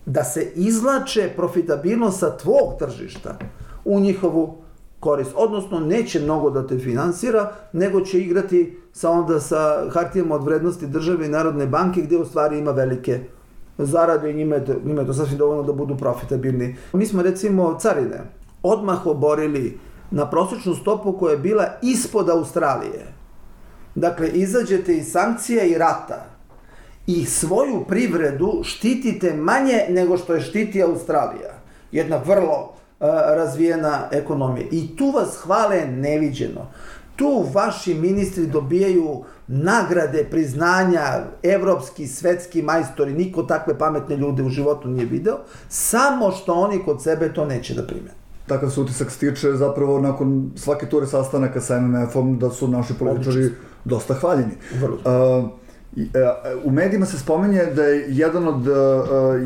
da se izlače profitabilnost sa tvog tržišta u njihovu korist. Odnosno, neće mnogo da te finansira, nego će igrati sa onda sa hartijama od vrednosti države i Narodne banke, gde u stvari ima velike zarade i njima je to, njima je to sasvim dovoljno da budu profitabilni. Mi smo recimo carine odmah oborili na prosječnu stopu koja je bila ispod Australije. Dakle, izađete iz sankcija i rata i svoju privredu štitite manje nego što je štiti Australija. Jedna vrlo uh, razvijena ekonomija. I tu vas hvale neviđeno. Tu vaši ministri dobijaju nagrade, priznanja, evropski, svetski majstori, niko takve pametne ljude u životu nije video, samo što oni kod sebe to neće da primene. Takav se utisak stiče zapravo nakon svake ture sastanaka sa em em ef-om da su naši političari dosta hvaljeni. Vrlo. Uh, U medijima se spominje da je jedan od,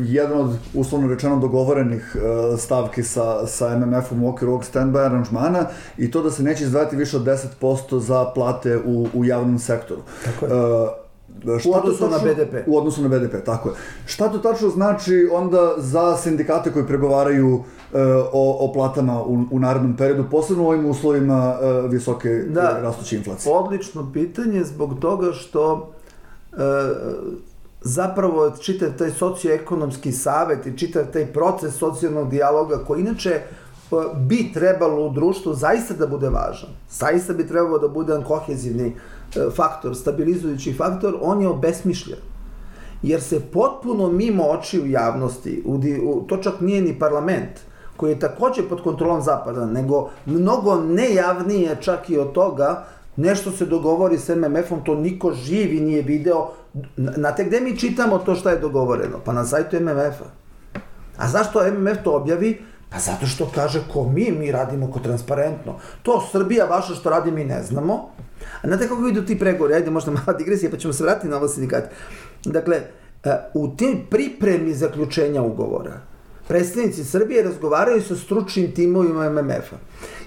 jedan od uslovno rečeno dogovorenih stavki sa, sa em em ef-om u okviru ovog stand-by aranžmana i to da se neće izdvajati više od deset posto za plate u, u javnom sektoru. Tako je. Uh, u odnosu na be de pe. U odnosu na be de pe, tako je. Šta to tačno znači onda za sindikate koji pregovaraju uh, o, o platama u, u narednom periodu, posebno u ovim uslovima uh, visoke da, rastuće inflacije? Odlično pitanje zbog toga što E, zapravo čitav taj socioekonomski savet i čitav taj proces socijalnog dijaloga koji inače bi trebalo u društvu zaista da bude važan, zaista bi trebalo da bude kohezivni faktor, stabilizujući faktor, on je obesmišljen. Jer se potpuno mimo očiju javnosti, u, u, to čak nije ni parlament, koji je takođe pod kontrolom Zapada, nego mnogo nejavnije čak i od toga. Nešto se dogovori s em em ef-om, to niko živi nije video. Znate gde mi čitamo to šta je dogovoreno? Pa na sajtu em em ef-a. A zašto em em ef to objavi? Pa zato što kaže ko mi, mi radimo ko transparentno. To Srbija vaša što radi mi ne znamo. A znate kako idu ti pregovori? Ajde, možda mala digresija, pa ćemo se vratiti na ovo sindikat. Dakle, u tim pripremi zaključenja ugovora predstavnici Srbije razgovaraju sa stručnim timovima em em ef-a.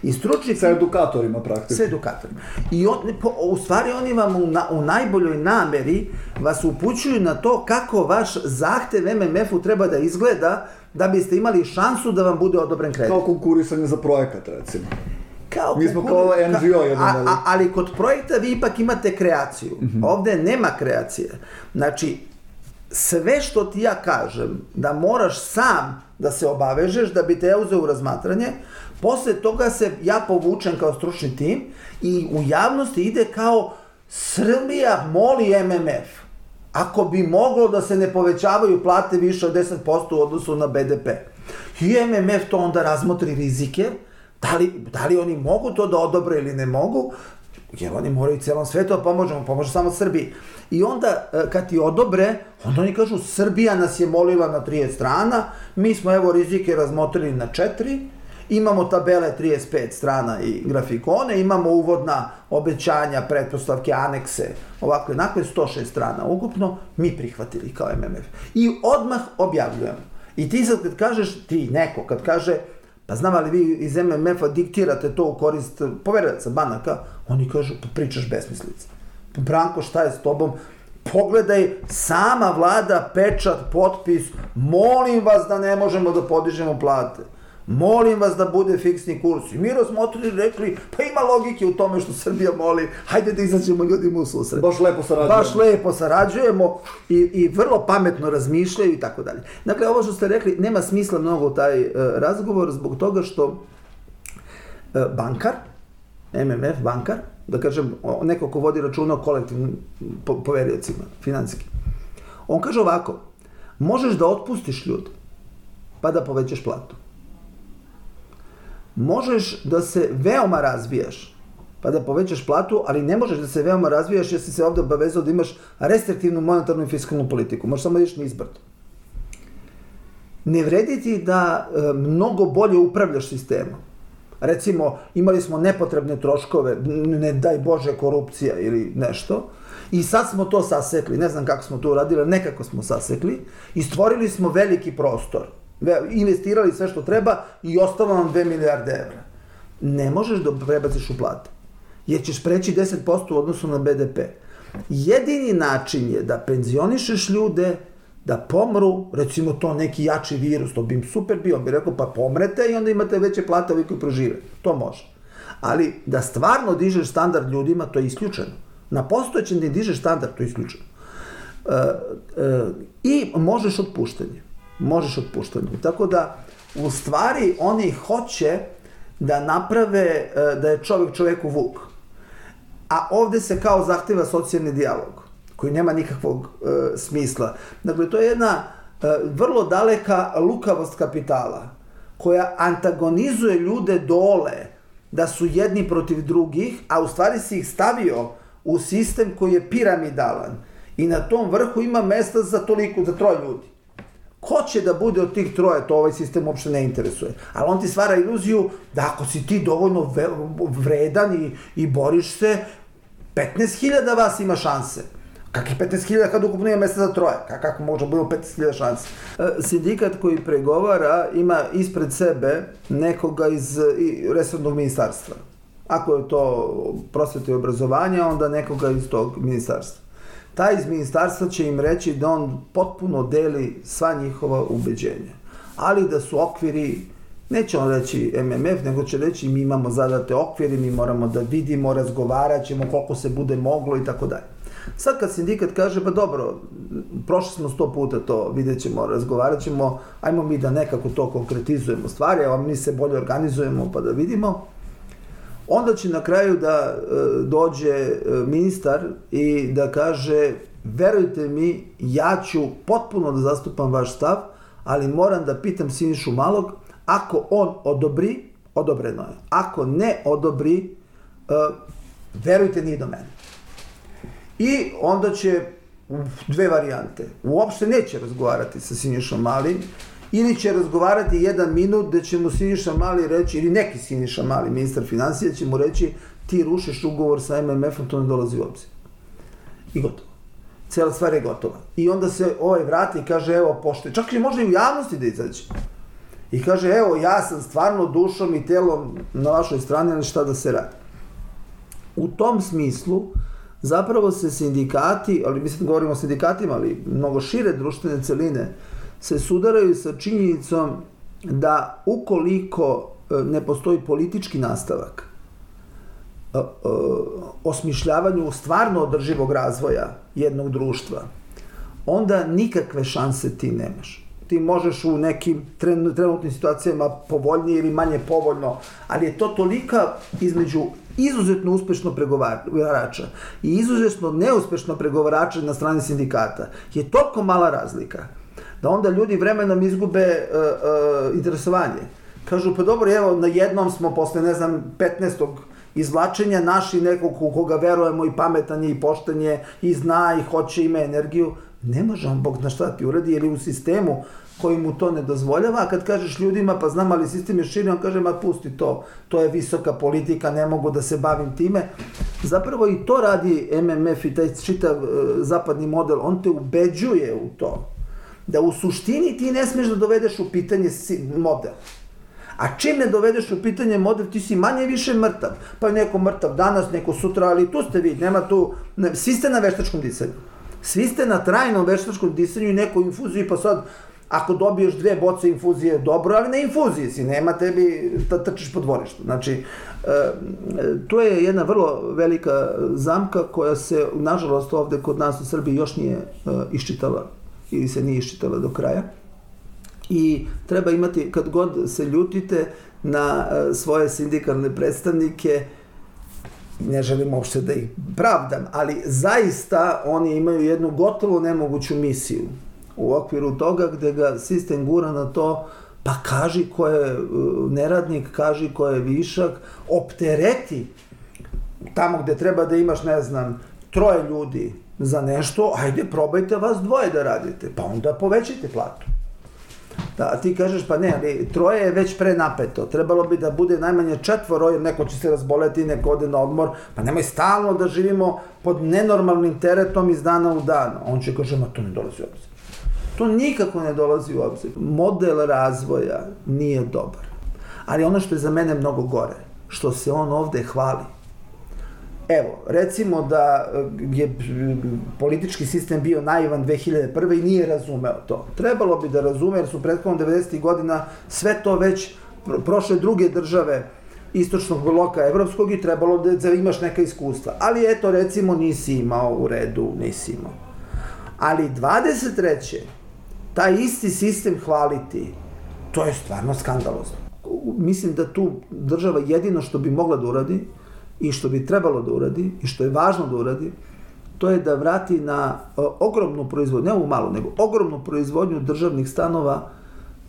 I stručni sa edukatorima praktično. Sa edukatorima. I on, u stvari oni vam u, na, u najboljoj nameri vas upućuju na to kako vaš zahtev em em ef-u treba da izgleda da biste imali šansu da vam bude odobren kredit. Kao konkurisanje za projekat, recimo. Kao Mi smo kao en dži o jedan. A, a, ali kod projekta vi ipak imate kreaciju. Mm-hmm. Ovde nema kreacije. Znači, sve što ti ja kažem da moraš sam da se obavežeš da bi te ja uzeo u razmatranje, posle toga se ja povučem kao stručni tim i u javnosti ide kao Srbija moli em em ef ako bi moglo da se ne povećavaju plate više od deset posto u odnosu na be de pe. I em em ef to onda razmotri rizike, da li, da li oni mogu to da odobre ili ne mogu, jer oni moraju celom svetu da pomožemo, pomože samo Srbiji. I onda, kad ti odobre, onda oni kažu, Srbija nas je molila na trideset strana, mi smo evo rizike razmotrili na četiri, imamo tabele trideset pet strana i grafikone, imamo uvodna obećanja, pretpostavke, anekse, ovako jednako, sto šest strana ukupno, mi prihvatili kao em em ef. I odmah objavljujemo. I ti sad kad kažeš, ti neko, kad kaže, pa znam, ali vi iz em em ef-a diktirate to u korist poverilaca banaka, oni kažu, pa pričaš besmislice. Branko, šta je s tobom? Pogledaj, sama vlada, pečat, potpis, molim vas da ne možemo da podižemo plate. Molim vas da bude fiksni kurs. I mi razmotrili, rekli, pa ima logike u tome što Srbija moli, hajde da izađemo ljudima u susret. Baš lepo sarađujemo. Baš lepo sarađujemo i, i vrlo pametno razmišljaju i tako dalje. Dakle, ovo što ste rekli, nema smisla mnogo taj uh, razgovor zbog toga što uh, bankar, em em ef bankar, da kažem, neko ko vodi računa o kolektivnim po, poveriocima, finansijski, on kaže ovako, možeš da otpustiš ljude, pa da povećaš platu. Možeš da se veoma razvijaš, pa da povećaš platu, ali ne možeš da se veoma razvijaš jer si se ovde obavezao da imaš restriktivnu monetarnu i fiskalnu politiku. Možeš samo ideš nizbrdo. Ne vredi ti da e, mnogo bolje upravljaš sistemom. Recimo, imali smo nepotrebne troškove, ne daj Bože korupcija ili nešto, i sad smo to sasekli, ne znam kako smo to uradili, nekako smo sasekli, i stvorili smo veliki prostor. Investirali sve što treba i ostalo nam dve milijarde evra. Ne možeš da prebaciš u plate, jer ćeš preći deset posto u odnosu na be de pe. Jedini način je da penzionišeš ljude, da pomru, recimo to neki jači virus, to bi im super bio, on bi rekao pa pomrete i onda imate veće plate ovi koji prožive. To može. Ali da stvarno dižeš standard ljudima, to je isključeno. Na postojećem ne dižeš standard, to je isključeno. E, e, I možeš otpuštanje. Možeš otpuštanje. Tako da, u stvari, oni hoće da naprave da je čovjek čovjeku vuk. A ovde se kao zahteva socijalni dijalog, koji nema nikakvog e, smisla. Dakle, to je jedna e, vrlo daleka lukavost kapitala, koja antagonizuje ljude dole, da su jedni protiv drugih, a u stvari si ih stavio u sistem koji je piramidalan. I na tom vrhu ima mesta za toliko, za troje ljudi. Ko će da bude od tih troje, to ovaj sistem uopšte ne interesuje. Ali on ti stvara iluziju da ako si ti dovoljno vredan i, i boriš se, petnaest hiljada vas ima šanse. Kakih petnaest hiljada kad ukupno ima mesta za troje? Kako može biti petnaest hiljada šanse? Sindikat koji pregovara ima ispred sebe nekoga iz resornog ministarstva. Ako je to prosveta i obrazovanja, onda nekoga iz tog ministarstva. Taj iz ministarstva će im reći da on potpuno deli sva njihova ubeđenja. Ali da su okviri, neće on reći em em ef, nego će reći mi imamo zadate okviri, mi moramo da vidimo, razgovarat ćemo koliko se bude moglo i tako dalje. Sad kad sindikat kaže, pa dobro, prošli smo sto puta to, vidjet ćemo, razgovarat ćemo, ajmo mi da nekako to konkretizujemo stvari, a mi se bolje organizujemo pa da vidimo, onda će na kraju da e, dođe ministar i da kaže, verujte mi, ja ću potpuno da zastupam vaš stav, ali moram da pitam Sinišu Malog, ako on odobri, odobreno je. Ako ne odobri, e, verujte, nije do mene. I onda će dve varijante. Uopšte neće razgovarati sa Sinišom Malim, ili će razgovarati jedan minut gde će mu Siniša Mali reći, ili neki Siniša Mali, ministar finansija, će mu reći ti rušiš ugovor sa em em ef-om, to ne dolazi u obzir. I gotovo. Cijela stvar je gotova. I onda se ovaj vrati i kaže, evo, poštuje. Čak i može i u javnosti da izađe. I kaže, evo, ja sam stvarno dušom i telom na vašoj strani, ali šta da se radi. U tom smislu, zapravo se sindikati, ali mislim da govorimo o sindikatima, ali mnogo šire društvene celine, se sudaraju sa činjenicom da ukoliko ne postoji politički nastavak osmišljavanju stvarno održivog razvoja jednog društva, onda nikakve šanse ti nemaš. Ti možeš u nekim trenutnim situacijama povoljnije ili manje povoljno, ali je to tolika između izuzetno uspešno pregovarača i izuzetno neuspešno pregovarača na strani sindikata je toliko mala razlika da onda ljudi vremenom izgube uh, uh, interesovanje. Kažu, pa dobro, evo, na jednom smo posle, ne znam, petnaestog izvlačenja naši nekog u koga verujemo i pametan je i pošten je i zna i hoće, ima energiju. Ne može on Bog na šta ti uradi, jer je u sistemu koji mu to ne dozvoljava, a kad kažeš ljudima, pa znam, ali sistem je širi, on kaže, ma pusti to, to je visoka politika, ne mogu da se bavim time. Zapravo i to radi M M F i taj čitav uh, zapadni model, on te ubeđuje u to, da u suštini ti ne smeš da dovedeš u pitanje model. A čim ne dovedeš u pitanje model, ti si manje više mrtav. Pa je neko mrtav danas, neko sutra, ali tu ste vi, nema tu, ne, svi ste na veštačkom disanju. Svi ste na trajnom veštačkom disanju i nekoj infuziji, pa sad, ako dobiješ dve boce infuzije, dobro, ali na infuziji si, nema tebi da trčiš po dvorištu. Znači, e, to je jedna vrlo velika zamka koja se, nažalost, ovde kod nas u Srbiji još nije e, iščitala ili se nije iščitala do kraja. I treba imati, kad god se ljutite na e, svoje sindikalne predstavnike, ne želim uopšte da ih pravdam, ali zaista oni imaju jednu gotovo nemoguću misiju u okviru toga gde ga sistem gura na to, pa kaži ko je neradnik, kaži ko je višak, optereti tamo gde treba da imaš, ne znam, troje ljudi za nešto, ajde probajte vas dvoje da radite, pa onda povećajte platu. Da, a ti kažeš, pa ne, ali troje je već prenapeto, trebalo bi da bude najmanje četvoro, jer neko će se razboleti, neko ode na odmor, pa nemoj stalno da živimo pod nenormalnim teretom iz dana u dan. On će kaže, ma to ne dolazi u obzir. To nikako ne dolazi u obzir. Model razvoja nije dobar. Ali ono što je za mene mnogo gore, što se on ovde hvali. Evo, recimo da je politički sistem bio naivan dve hiljade prve i nije razumeo to. Trebalo bi da razume, jer su prethodno devedesetih godina sve to već prošle druge države istočnog bloka evropskog i trebalo da imaš neka iskustva. Ali eto, recimo, nisi imao u redu, nisi imao. Ali dvadeset treće taj isti sistem hvaliti, to je stvarno skandalozno. Mislim da tu država jedino što bi mogla da uradi i što bi trebalo da uradi i što je važno da uradi, to je da vrati na uh, ogromnu proizvodnju, ne ovu malu, nego ogromnu proizvodnju državnih stanova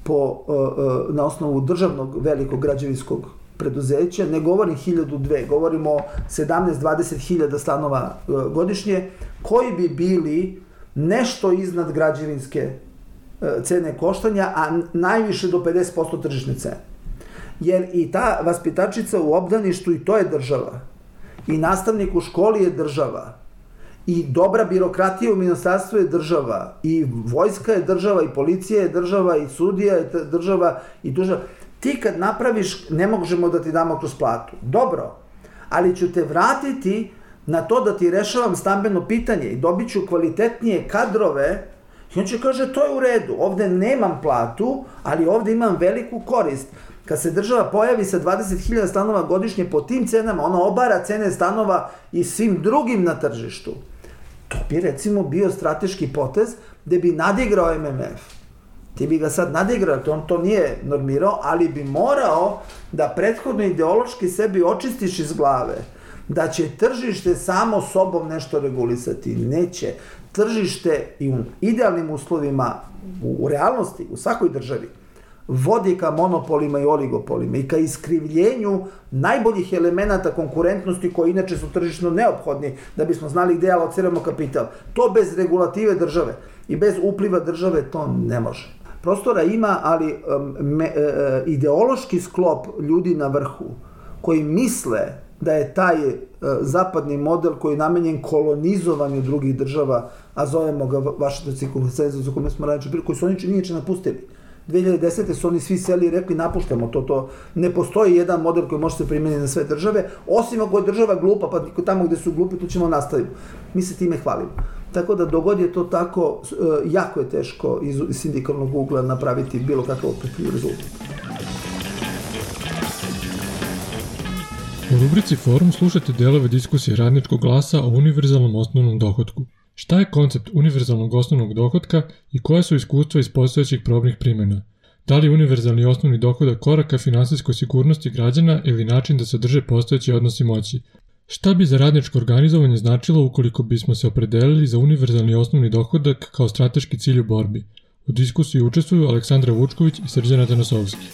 po, uh, uh, na osnovu državnog velikog građevinskog preduzeća. Ne govorim hiljadu dve, govorimo o sedamnaest do dvadeset hiljada stanova uh, godišnje, koji bi bili nešto iznad građevinske uh, cene koštanja, a najviše do pedeset posto tržišne cene. Jer i ta vaspitačica u obdaništu, i to je država, i nastavnik u školi je država, i dobra birokratija u ministarstvu je država, i vojska je država, i policija je država, i sudija je država, i država. Ti kad napraviš, ne možemo da ti damo kroz platu. Dobro, ali ću te vratiti na to da ti rešavam stambeno pitanje i dobit ću kvalitetnije kadrove. I on će kaže, to je u redu, ovde nemam platu, ali ovde imam veliku korist. Kad se država pojavi sa dvadeset hiljada stanova godišnje po tim cenama, ona obara cene stanova i svim drugim na tržištu. To bi recimo bio strateški potez gde bi nadigrao M M F. Ti bi ga sad nadigrao, on to nije normirao, ali bi morao da prethodno ideološki sebi očistiš iz glave da će tržište samo sobom nešto regulisati. Neće. Tržište i u idealnim uslovima, u, u realnosti, u svakoj državi, vodi ka monopolima i oligopolima i ka iskrivljenju najboljih elemenata konkurentnosti koji inače su tržišno neophodni da bismo znali gde alociramo kapital. To bez regulative države i bez upliva države to ne može. Prostora ima, ali me, e, ideološki sklop ljudi na vrhu koji misle da je taj e, zapadni model koji je namenjen kolonizovanju drugih država, a zovemo ga Vašingtonski konsenzus o kome smo ranije bili, koji su oni niječe napustili. dve hiljade desete su oni svi seli i rekli napuštamo to, to ne postoji jedan model koji može se primijeniti na sve države, osim ako je država glupa, pa tamo gde su glupi, tu ćemo nastaviti. Mi se time hvalimo. Tako da dogod je to tako, jako je teško iz sindikalnog ugla napraviti bilo kakav opipljiv rezultat. U rubrici Forum slušate delove diskusije Radničkog glasa o univerzalnom osnovnom dohotku. Šta je koncept univerzalnog osnovnog dohotka i koje su iskustva iz postojećih probnih primjena? Da li je univerzalni osnovni dohodak korak ka finansijskoj sigurnosti građana ili način da se drže postojeći odnosi moći? Šta bi za radničko organizovanje značilo ukoliko bismo se opredelili za univerzalni osnovni dohodak kao strateški cilj u borbi? U diskusiji učestvuju Aleksandra Vučković i Srđana Tanasovski.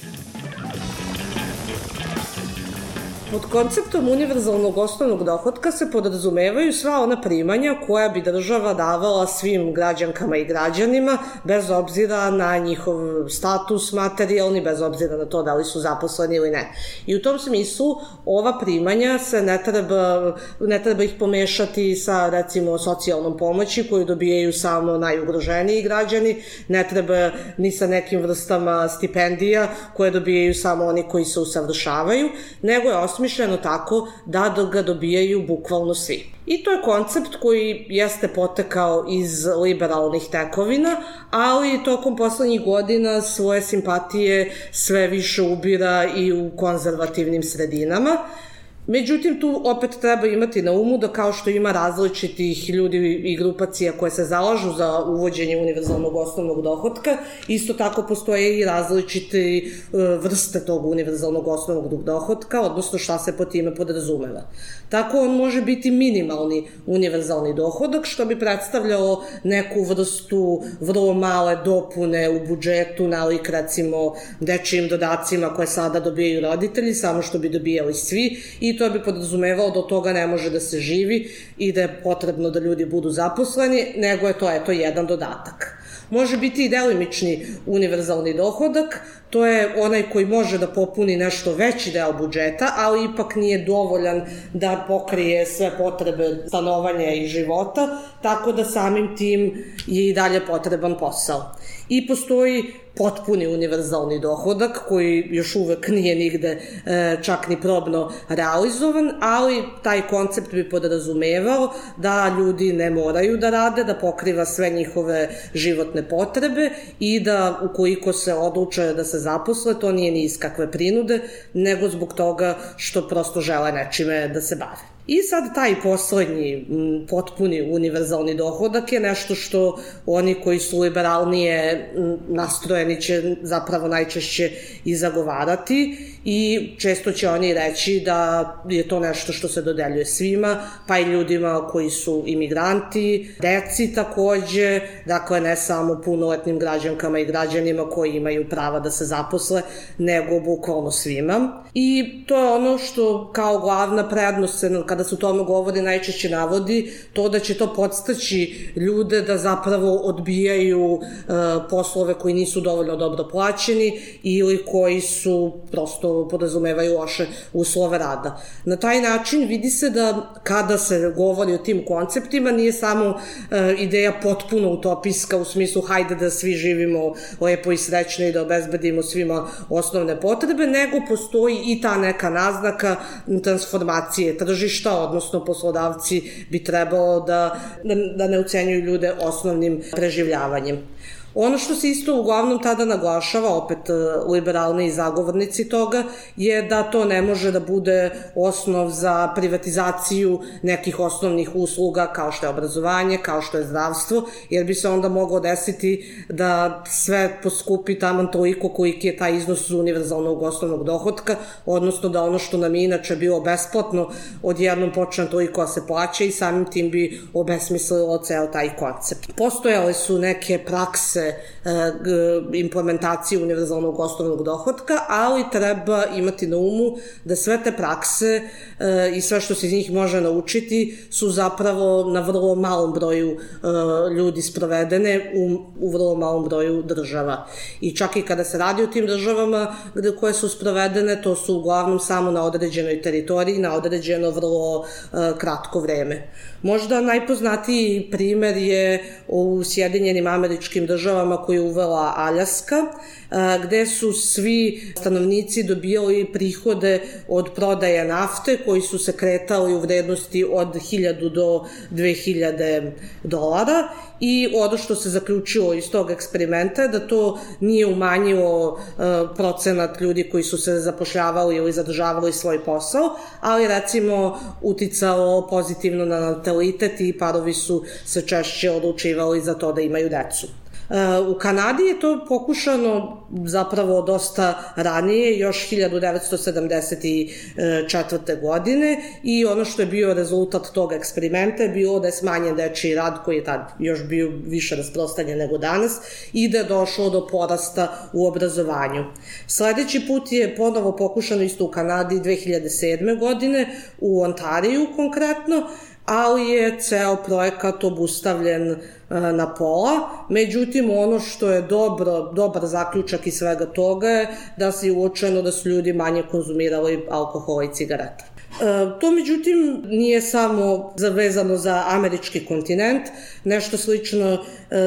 Pod konceptom univerzalnog osnovnog dohotka se podrazumevaju sva ona primanja koja bi država davala svim građankama i građanima, bez obzira na njihov status materijalni, bez obzira na to da li su zaposleni ili ne. I u tom smislu ova primanja se ne treba, ne treba ih pomešati sa, recimo, socijalnom pomoći koju dobijaju samo najugroženiji građani, ne treba ni sa nekim vrstama stipendija koje dobijaju samo oni koji se usavršavaju, nego je osmišljeno tako da ga dobijaju bukvalno svi. I to je koncept koji jeste potekao iz liberalnih tekovina, ali tokom poslednjih godina svoje simpatije sve više ubira i u konzervativnim sredinama. Međutim, tu opet treba imati na umu da kao što ima različitih ljudi i grupacija koje se zalažu za uvođenje univerzalnog osnovnog dohotka, isto tako postoje i različite vrste tog univerzalnog osnovnog dohotka, odnosno šta se po time podrazumeva. Tako on može biti minimalni univerzalni dohodak, što bi predstavljalo neku vrstu vrlo male dopune u budžetu, nalik recimo dečijim dodacima koje sada dobijaju roditelji, samo što bi dobijali svi, i to bi podrazumevalo da od toga ne može da se živi i da je potrebno da ljudi budu zaposleni, nego je to eto jedan dodatak. Može biti i delimični univerzalni dohodak, to je onaj koji može da popuni nešto veći deo budžeta, ali ipak nije dovoljan da pokrije sve potrebe stanovanja i života, tako da samim tim je i dalje potreban posao. I postoji potpuni univerzalni dohodak koji još uvek nije nigde čak ni probno realizovan, ali taj koncept bi podrazumevao da ljudi ne moraju da rade, da pokriva sve njihove životne potrebe i da ukoliko se odluče da se zaposle, to nije ni iz kakve prinude, nego zbog toga što prosto žele nečime da se bave. I sad taj poslednji potpuni univerzalni dohodak je nešto što oni koji su liberalnije nastrojeni će zapravo najčešće i zagovarati i često će oni reći da je to nešto što se dodeljuje svima, pa i ljudima koji su imigranti, deci takođe, dakle ne samo punoletnim građankama i građanima koji imaju prava da se zaposle, nego bukvalno svima. I to je ono što kao glavna prednost se, kada se o tome govori, najčešće navodi, to da će to podstaći ljude da zapravo odbijaju e, poslove koji nisu dovoljno dobro plaćeni ili koji su prosto podrazumevaju loše uslove rada. Na taj način vidi se da kada se govori o tim konceptima nije samo e, ideja potpuno utopijska u smislu hajde da svi živimo lepo i srećno i da obezbedimo svima osnovne potrebe, nego postoji i ta neka naznaka transformacije tržišta, odnosno poslodavci bi trebalo da, da ne ucenjuju ljude osnovnim preživljavanjem. Ono što se isto uglavnom tada naglašava, opet liberalni zagovornici toga, je da to ne može da bude osnov za privatizaciju nekih osnovnih usluga kao što je obrazovanje, kao što je zdravstvo, jer bi se onda moglo desiti da sve poskupi taman toliko koliki je taj iznos univerzalnog osnovnog dohotka, odnosno da ono što nam je inače bilo besplatno odjednom počne toliko da se plaća i samim tim bi obesmislilo ceo taj koncept. Postojale su neke prakse implementacije univerzalnog osnovnog dohotka, ali treba imati na umu da sve te prakse i sve što se iz njih može naučiti su zapravo na vrlo malom broju ljudi sprovedene u, u vrlo malom broju država. I čak i kada se radi o tim državama koje su sprovedene, to su uglavnom samo na određenoj teritoriji, na određeno vrlo kratko vreme. Možda najpoznatiji primer je u Sjedinjenim Američkim Državama državama koje je uvela Aljaska, gde su svi stanovnici dobijali prihode od prodaje nafte koji su se kretali u vrednosti od hiljadu do dve hiljade dolara i ono što se zaključilo iz tog eksperimenta je da to nije umanjilo procenat ljudi koji su se zapošljavali ili zadržavali svoj posao, ali recimo uticalo pozitivno na natalitet i parovi su se češće odlučivali za to da imaju decu. U Kanadi je to pokušano zapravo dosta ranije, još hiljadu devetsto sedamdeset četvrte. godine i ono što je bio rezultat tog eksperimenta je bilo da je smanjen dečiji rad koji je tad još bio više rasprostanjen nego danas i da je došlo do porasta u obrazovanju. Sledeći put je ponovo pokušano isto u Kanadi dve hiljade sedme. godine, u Ontariju konkretno, ali je ceo projekat obustavljen na pola. Međutim, ono što je dobro, dobar zaključak iz svega toga je da se je uočeno da su ljudi manje konzumirali alkohola i cigareta. To, međutim, nije samo zavezano za američki kontinent. Nešto slično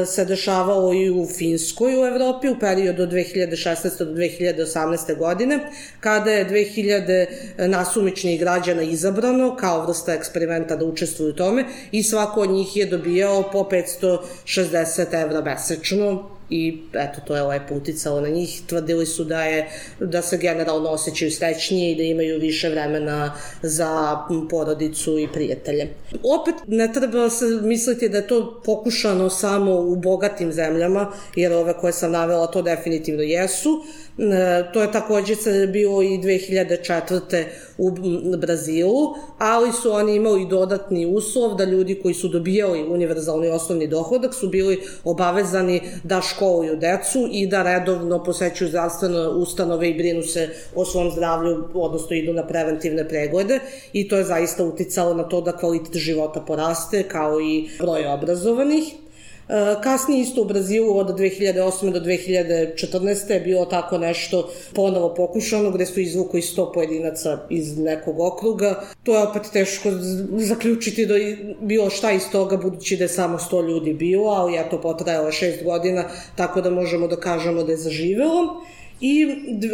se dešavalo i u Finskoj u Evropi u periodu od dve hiljade šesnaeste. do dve hiljade osamnaeste. godine, kada je dve hiljade nasumičnih građana izabrano kao vrsta eksperimenta da učestvuju u tome i svako od njih je dobijao po petsto šezdeset evra mesečno. I eto, to je lepo uticalo na njih. Tvrdili su da, je, da se generalno osjećaju srećnije i da imaju više vremena za porodicu i prijatelje. Opet, ne treba se misliti da je to pokušano samo u bogatim zemljama, jer ove koje sam navela to definitivno jesu. To je takođe bilo i dve hiljade četvrte. u Brazilu, ali su oni imali dodatni uslov da ljudi koji su dobijali univerzalni osnovni dohodak su bili obavezani da školuju decu i da redovno posećuju zdravstvene ustanove i brinu se o svom zdravlju, odnosno idu na preventivne preglede i to je zaista uticalo na to da kvalitet života poraste kao i broj obrazovanih. Kasnije isto u Brazilu od dve hiljade osme do dve hiljade četrnaeste. je bilo tako nešto ponovo pokušano gde su izvukli sto pojedinaca iz nekog okruga. To je opet teško zaključiti da je bilo šta iz toga budući da je samo sto ljudi bilo, ali je to potrajalo šest godina, tako da možemo da kažemo da je zaživelo. I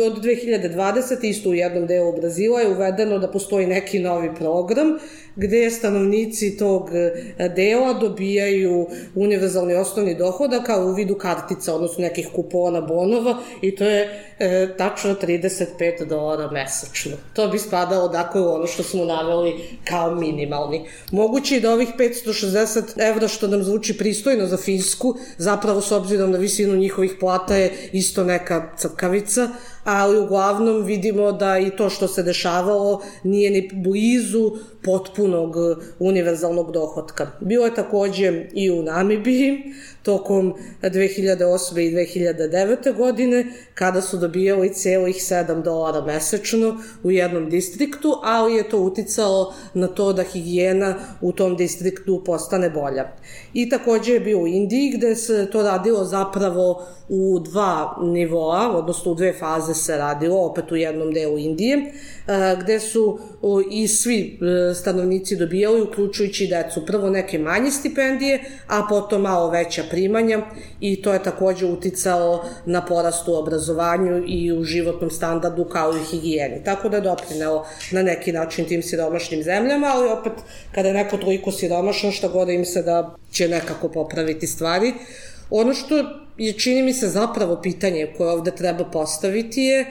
od dve hiljade dvadesete. isto u jednom delu Brazila je uvedeno da postoji neki novi program gde stanovnici tog dela dobijaju univerzalni osnovni dohodak kao u vidu kartica, odnosno nekih kupona, bonova i to je e, tačno trideset pet dolara mesečno. To bi spadalo dakle u ono što smo naveli kao minimalni. Moguće je da ovih petsto šezdeset evra što nam zvuči pristojno za Finsku, zapravo s obzirom na visinu njihovih plata je isto neka crkavica, ali uglavnom vidimo da i to što se dešavalo nije ni blizu potpunog univerzalnog dohotka. Bilo je takođe i u Namibiji tokom dve hiljade osme. i dve hiljade devete. godine kada su dobijali celih sedam dolara mesečno u jednom distriktu, ali je to uticalo na to da higijena u tom distriktu postane bolja. I takođe je bio u Indiji gde se to radilo zapravo u dva nivoa, odnosno u dve faze se radilo, opet u jednom delu Indije, gde su i svi stanovnici dobijali, uključujući decu, prvo neke manje stipendije, a potom malo veća primanja i to je takođe uticalo na porast u obrazovanju i u životnom standardu kao i higijeni. Tako da je doprinelo na neki način tim siromašnim zemljama, ali opet kada je neko toliko siromašan, šta god im se da će nekako popraviti stvari. Ono što je, čini mi se, zapravo pitanje koje ovde treba postaviti je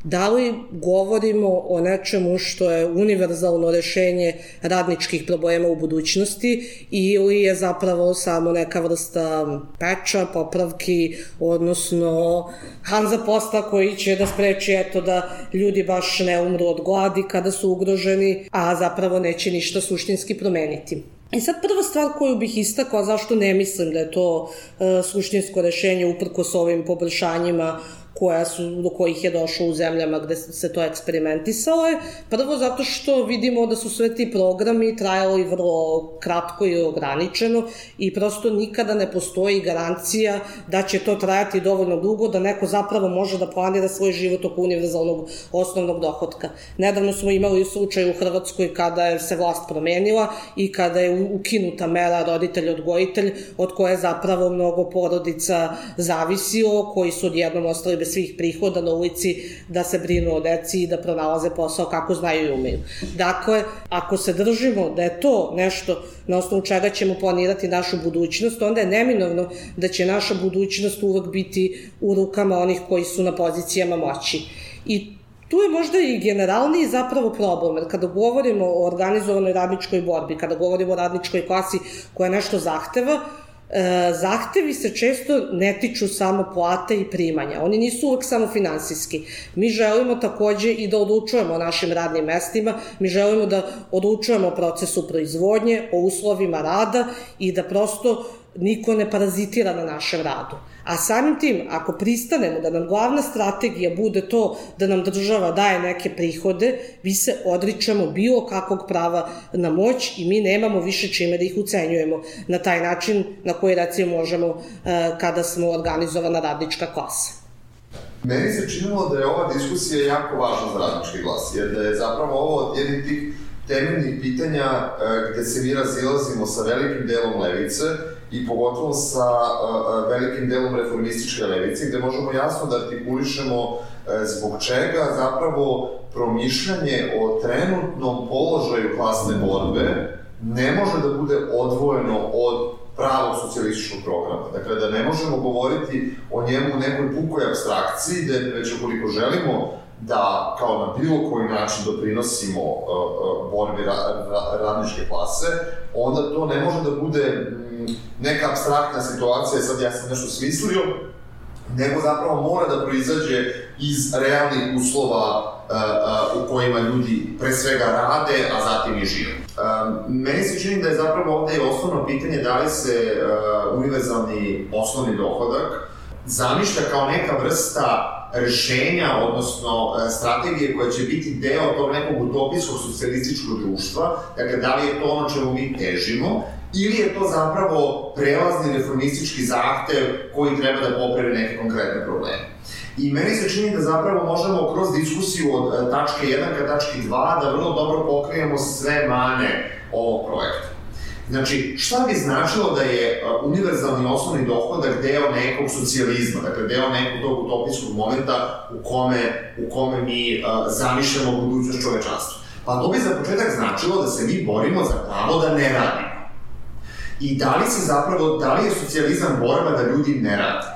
da li govorimo o nečemu što je univerzalno rešenje radničkih problema u budućnosti ili je zapravo samo neka vrsta peča, popravki, odnosno Hanza posta koji će da spreči eto da ljudi baš ne umru od gladi kada su ugroženi, a zapravo neće ništa suštinski promeniti. I sad prva stvar koju bih istakla zašto ne mislim da je to e, suštinsko rešenje uprkos ovim poboljšanjima koja su, do kojih je došlo u zemljama gde se to eksperimentisalo je. Prvo zato što vidimo da su sve ti programi trajali vrlo kratko i ograničeno i prosto nikada ne postoji garancija da će to trajati dovoljno dugo da neko zapravo može da planira svoj život oko univerzalnog osnovnog dohotka. Nedavno smo imali slučaj u Hrvatskoj kada je se vlast promenila i kada je ukinuta mera roditelj-odgojitelj od koje zapravo mnogo porodica zavisilo, koji su odjednom ostali bez svih prihoda na ulici da se brinu o deci i da pronalaze posao kako znaju i umeju. Dakle, ako se držimo da je to nešto na osnovu čega ćemo planirati našu budućnost, onda je neminovno da će naša budućnost uvek biti u rukama onih koji su na pozicijama moći. I tu je možda i generalniji zapravo problem, jer kada govorimo o organizovanoj radničkoj borbi, kada govorimo o radničkoj klasi koja nešto zahteva, zahtevi se često ne tiču samo plate i primanja. Oni nisu uvek samo finansijski. Mi želimo takođe i da odlučujemo o našim radnim mestima, mi želimo da odlučujemo o procesu proizvodnje, o uslovima rada i da prosto niko ne parazitira na našem radu. A samim tim, ako pristanemo da nam glavna strategija bude to da nam država daje neke prihode, vi se odričemo bilo kakvog prava na moć i mi nemamo više čime da ih ucenjujemo na taj način na koji recimo možemo kada smo organizovana radnička klasa. Meni se činilo da je ova diskusija jako važna za radnički glas, jer da je zapravo ovo od jednih tih temeljnih pitanja gde se mi razilazimo sa velikim delom levice i pogotovo sa velikim delom reformističke levice, gde možemo jasno da artikulišemo zbog čega zapravo promišljanje o trenutnom položaju klasne borbe ne može da bude odvojeno od pravog socijalističkog programa. Dakle, da ne možemo govoriti o njemu u nekoj pukoj apstrakciji, da već ukoliko želimo da kao na bilo koji način doprinosimo borbi radničke klase, onda to ne može da bude neka apstraktna situacija, sad ja sam nešto smislio, nego zapravo mora da proizađe iz realnih uslova u kojima ljudi pre svega rade, a zatim i žive. Meni se čini da je zapravo ovde osnovno pitanje da li se univerzalni osnovni dohodak zamišlja kao neka vrsta rešenja, odnosno strategije koja će biti deo tog nekog utopijskog socijalističkog društva, dakle da li je to ono čemu mi težimo, ili je to zapravo prelazni reformistički zahtev koji treba da popravi neke konkretne probleme. I meni se čini da zapravo možemo kroz diskusiju od tačke jedan ka tački dva da vrlo dobro pokrijemo sve mane ovog projekta. Znači, šta bi značilo da je univerzalni osnovni dohodak deo nekog socijalizma, dakle deo nekog tog utopijskog momenta u kome, u kome mi zamišljamo budućnost čovečanstva? Pa to bi za početak značilo da se mi borimo za pravo da ne radimo. I da li se zapravo, da li je socijalizam borba da ljudi ne rade?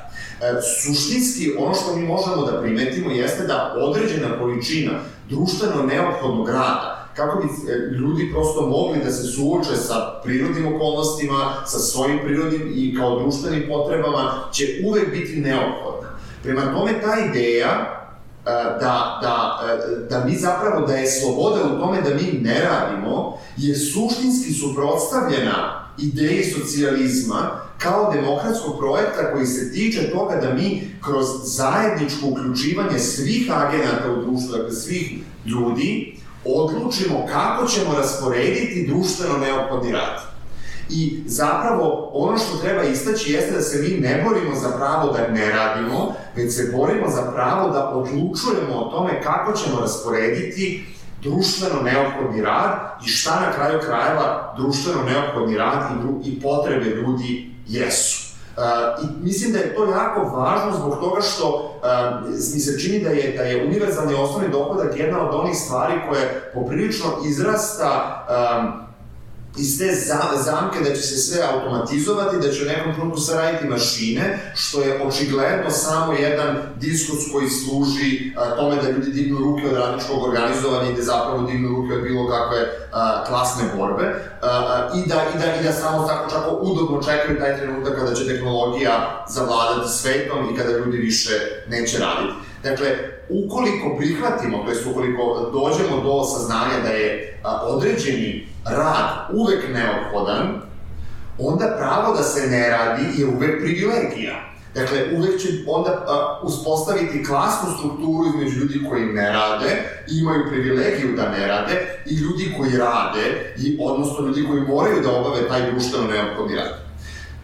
Suštinski, ono što mi možemo da primetimo jeste da određena količina društveno neophodnog rada, kako bi ljudi prosto mogli da se suoče sa prirodnim okolnostima, sa svojim prirodnim i kao društvenim potrebama, će uvek biti neophodna. Prema tome, ta ideja da, da, da mi zapravo, da je sloboda u tome da mi ne radimo, je suštinski suprotstavljena ideji socijalizma kao demokratskog projekta koji se tiče toga da mi kroz zajedničko uključivanje svih agenata u društvu, dakle svih ljudi, odlučimo kako ćemo rasporediti društveno neophodni rad. I zapravo ono što treba istaći jeste da se mi ne borimo za pravo da ne radimo, već se borimo za pravo da odlučujemo o tome kako ćemo rasporediti društveno neophodni rad i šta na kraju krajeva društveno neophodni rad i, i potrebe ljudi jesu. Uh, I mislim da je to jako važno zbog toga što uh, mi se čini da je, da je univerzalni osnovni dohodak jedna od onih stvari koje poprilično izrasta um, iz te zamke da će se sve automatizovati, da će u nekom trenutku sve raditi mašine, što je očigledno samo jedan diskurs koji služi tome da ljudi dignu ruke od radničkog organizovanja i da zapravo dignu ruke od bilo kakve klasne borbe i da, i da, i da samo tako čako udobno čekaju taj trenutak kada će tehnologija zavladati svetom i kada ljudi više neće raditi. Dakle, ukoliko prihvatimo, to jest ukoliko dođemo do saznanja da je određeni rad uvek neophodan, onda pravo da se ne radi je uvek privilegija. Dakle, uvek će onda a, uspostaviti klasnu strukturu između ljudi koji ne rade i imaju privilegiju da ne rade i ljudi koji rade, i, odnosno ljudi koji moraju da obave taj društveno neophodni rad.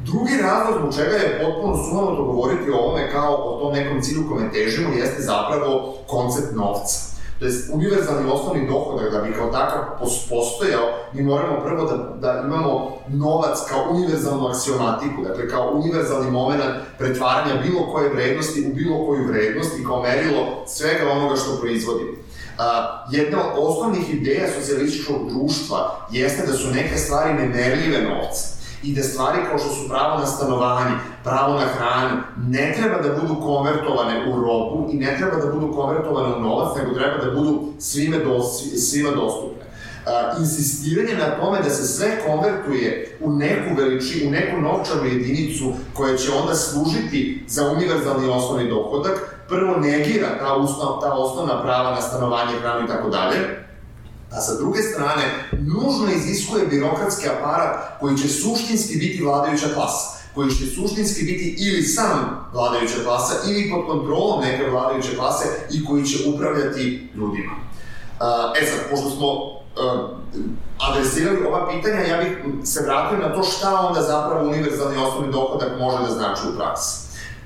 Drugi razlog zbog čega je potpuno sumanuto govoriti o ovome kao o tom nekom cilju kome težimo jeste zapravo koncept novca. To je univerzalni osnovni dohodak, da bi kao takav postojao, mi moramo prvo da, da imamo novac kao univerzalnu aksiomatiku, dakle kao univerzalni moment pretvaranja bilo koje vrednosti u bilo koju vrednost i kao merilo svega onoga što proizvodimo. Uh, jedna od osnovnih ideja socijalističkog društva jeste da su neke stvari nemerljive novca i da stvari kao što su pravo na stanovanje, pravo na hranu, ne treba da budu konvertovane u robu i ne treba da budu konvertovane u novac, nego treba da budu svime, do, svima dostupne. Uh, insistiranje na tome da se sve konvertuje u neku veličinu, u neku novčanu jedinicu koja će onda služiti za univerzalni osnovni dohodak, prvo negira ta, osnov, ta osnovna prava na stanovanje, hranu i tako dalje, a sa druge strane, nužno iziskuje birokratski aparat koji će suštinski biti vladajuća klasa, koji će suštinski biti ili sam vladajuća klasa ili pod kontrolom neke vladajuće klase i koji će upravljati ljudima. E sad, pošto smo adresirali ova pitanja, ja bih se vratio na to šta onda zapravo univerzalni osnovni dohodak može da znači u praksi.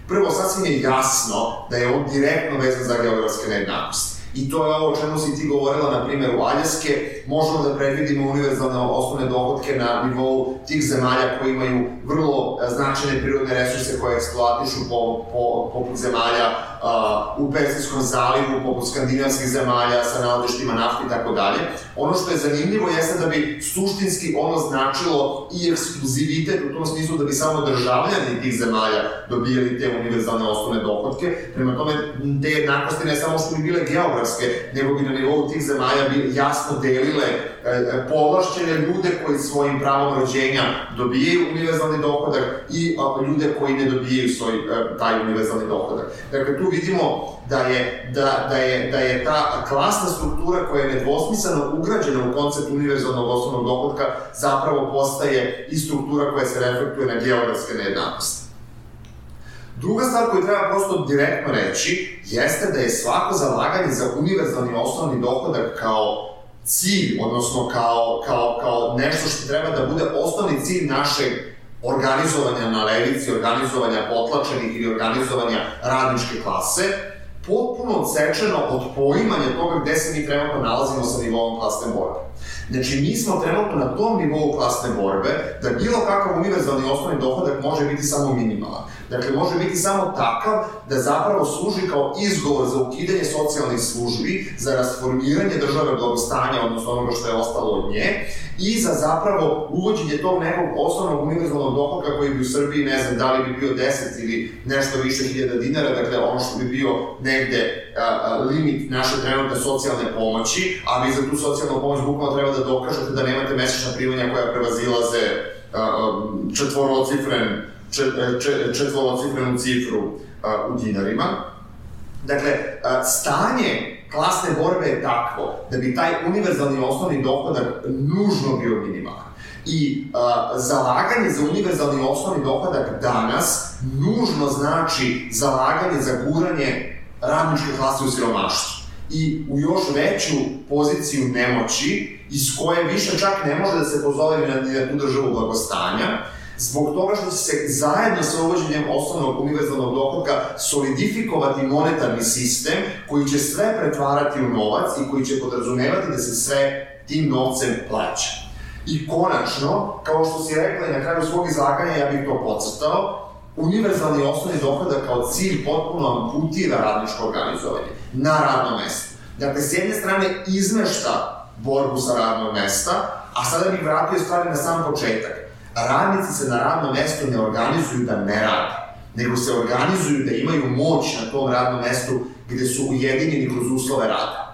Prvo, sasvim je jasno da je on direktno vezan za geografske nejednakosti. I to je ovo o čemu si ti govorila na primjeru Aljaske. Možemo da predvidimo univerzalne osnovne dohodke na nivou tih zemalja koji imaju vrlo značajne prirodne resurse koje eksploatišu po, po, poput zemalja uh, u Persijskom zalivu, poput skandinavskih zemalja sa nalazištima nafte i tako dalje. Ono što je zanimljivo jeste da bi suštinski ono značilo i ekskluzivitet u tom smislu da bi samo državljani tih zemalja dobijali te univerzalne osnovne dohodke. Prema tome, te jednakosti ne samo što bi bile geografske, nego bi na nivou tih zemalja bi jasno delile e, povlašćene ljude koji svojim pravom rođenja dobijaju univerzalni dohodak i a, ljude koji ne dobijaju svoj, e, taj univerzalni dohodak. Dakle, tu vidimo da je, da, da, je, da je ta klasna struktura koja je nedvosmisleno ugrađena u koncept univerzalnog osnovnog dohodka zapravo postaje i struktura koja se reflektuje na geografske nejednakosti. Druga stvar koju treba prosto direktno reći jeste da je svako zalaganje za univerzalni osnovni dohodak kao cilj, odnosno kao, kao, kao nešto što treba da bude osnovni cilj našeg organizovanja na levici, organizovanja potlačenih ili organizovanja radničke klase, potpuno odsečeno od poimanja toga gde se mi trenutno nalazimo sa nivoom klasne borbe. Znači, mi smo trenutno na tom nivou klasne borbe da bilo kakav univerzalni osnovni dohodak može biti samo minimalan. Dakle, može biti samo takav da zapravo služi kao izgovor za ukidanje socijalnih službi, za rasformiranje države blagostanja, odnosno onoga što je ostalo od nje, i za zapravo uvođenje tog nekog osnovnog univerzalnog dohodka koji bi u Srbiji, ne znam, da li bi bio deset ili nešto više hiljada dinara, dakle ono što bi bio negde a, a, limit naše trenutne socijalne pomoći, a vi za tu socijalnu pomoć bukvalno treba da dokažete da nemate mesečna primanja koja prevazilaze četvorocifren četvorocifrenu cifru uh, u dinarima. Dakle, uh, stanje klasne borbe je takvo da bi taj univerzalni osnovni dohodak nužno bio minimalan. I uh, zalaganje za univerzalni osnovni dohodak danas nužno znači zalaganje za guranje radničke klase u siromaštvu i u još veću poziciju nemoći iz koje više čak ne može da se pozove ni na, ni na tu državu blagostanja, zbog toga što će se zajedno sa uvođenjem osnovnog univerzalnog dohodka solidifikovati monetarni sistem koji će sve pretvarati u novac i koji će podrazumevati da se sve tim novcem plaća. I konačno, kao što si rekla i na kraju svog izlaganja, ja bih to podcrtao, univerzalni osnovni dohodak kao cilj potpuno amputira radničko organizovanje na radnom mestu. Dakle, s jedne strane izmešta borbu sa radnog mesta, a sada bih vratio stvari na sam početak. Radnici se na radnom mestu ne organizuju da ne rade, nego se organizuju da imaju moć na tom radnom mestu gde su ujedinjeni kroz uslove rada.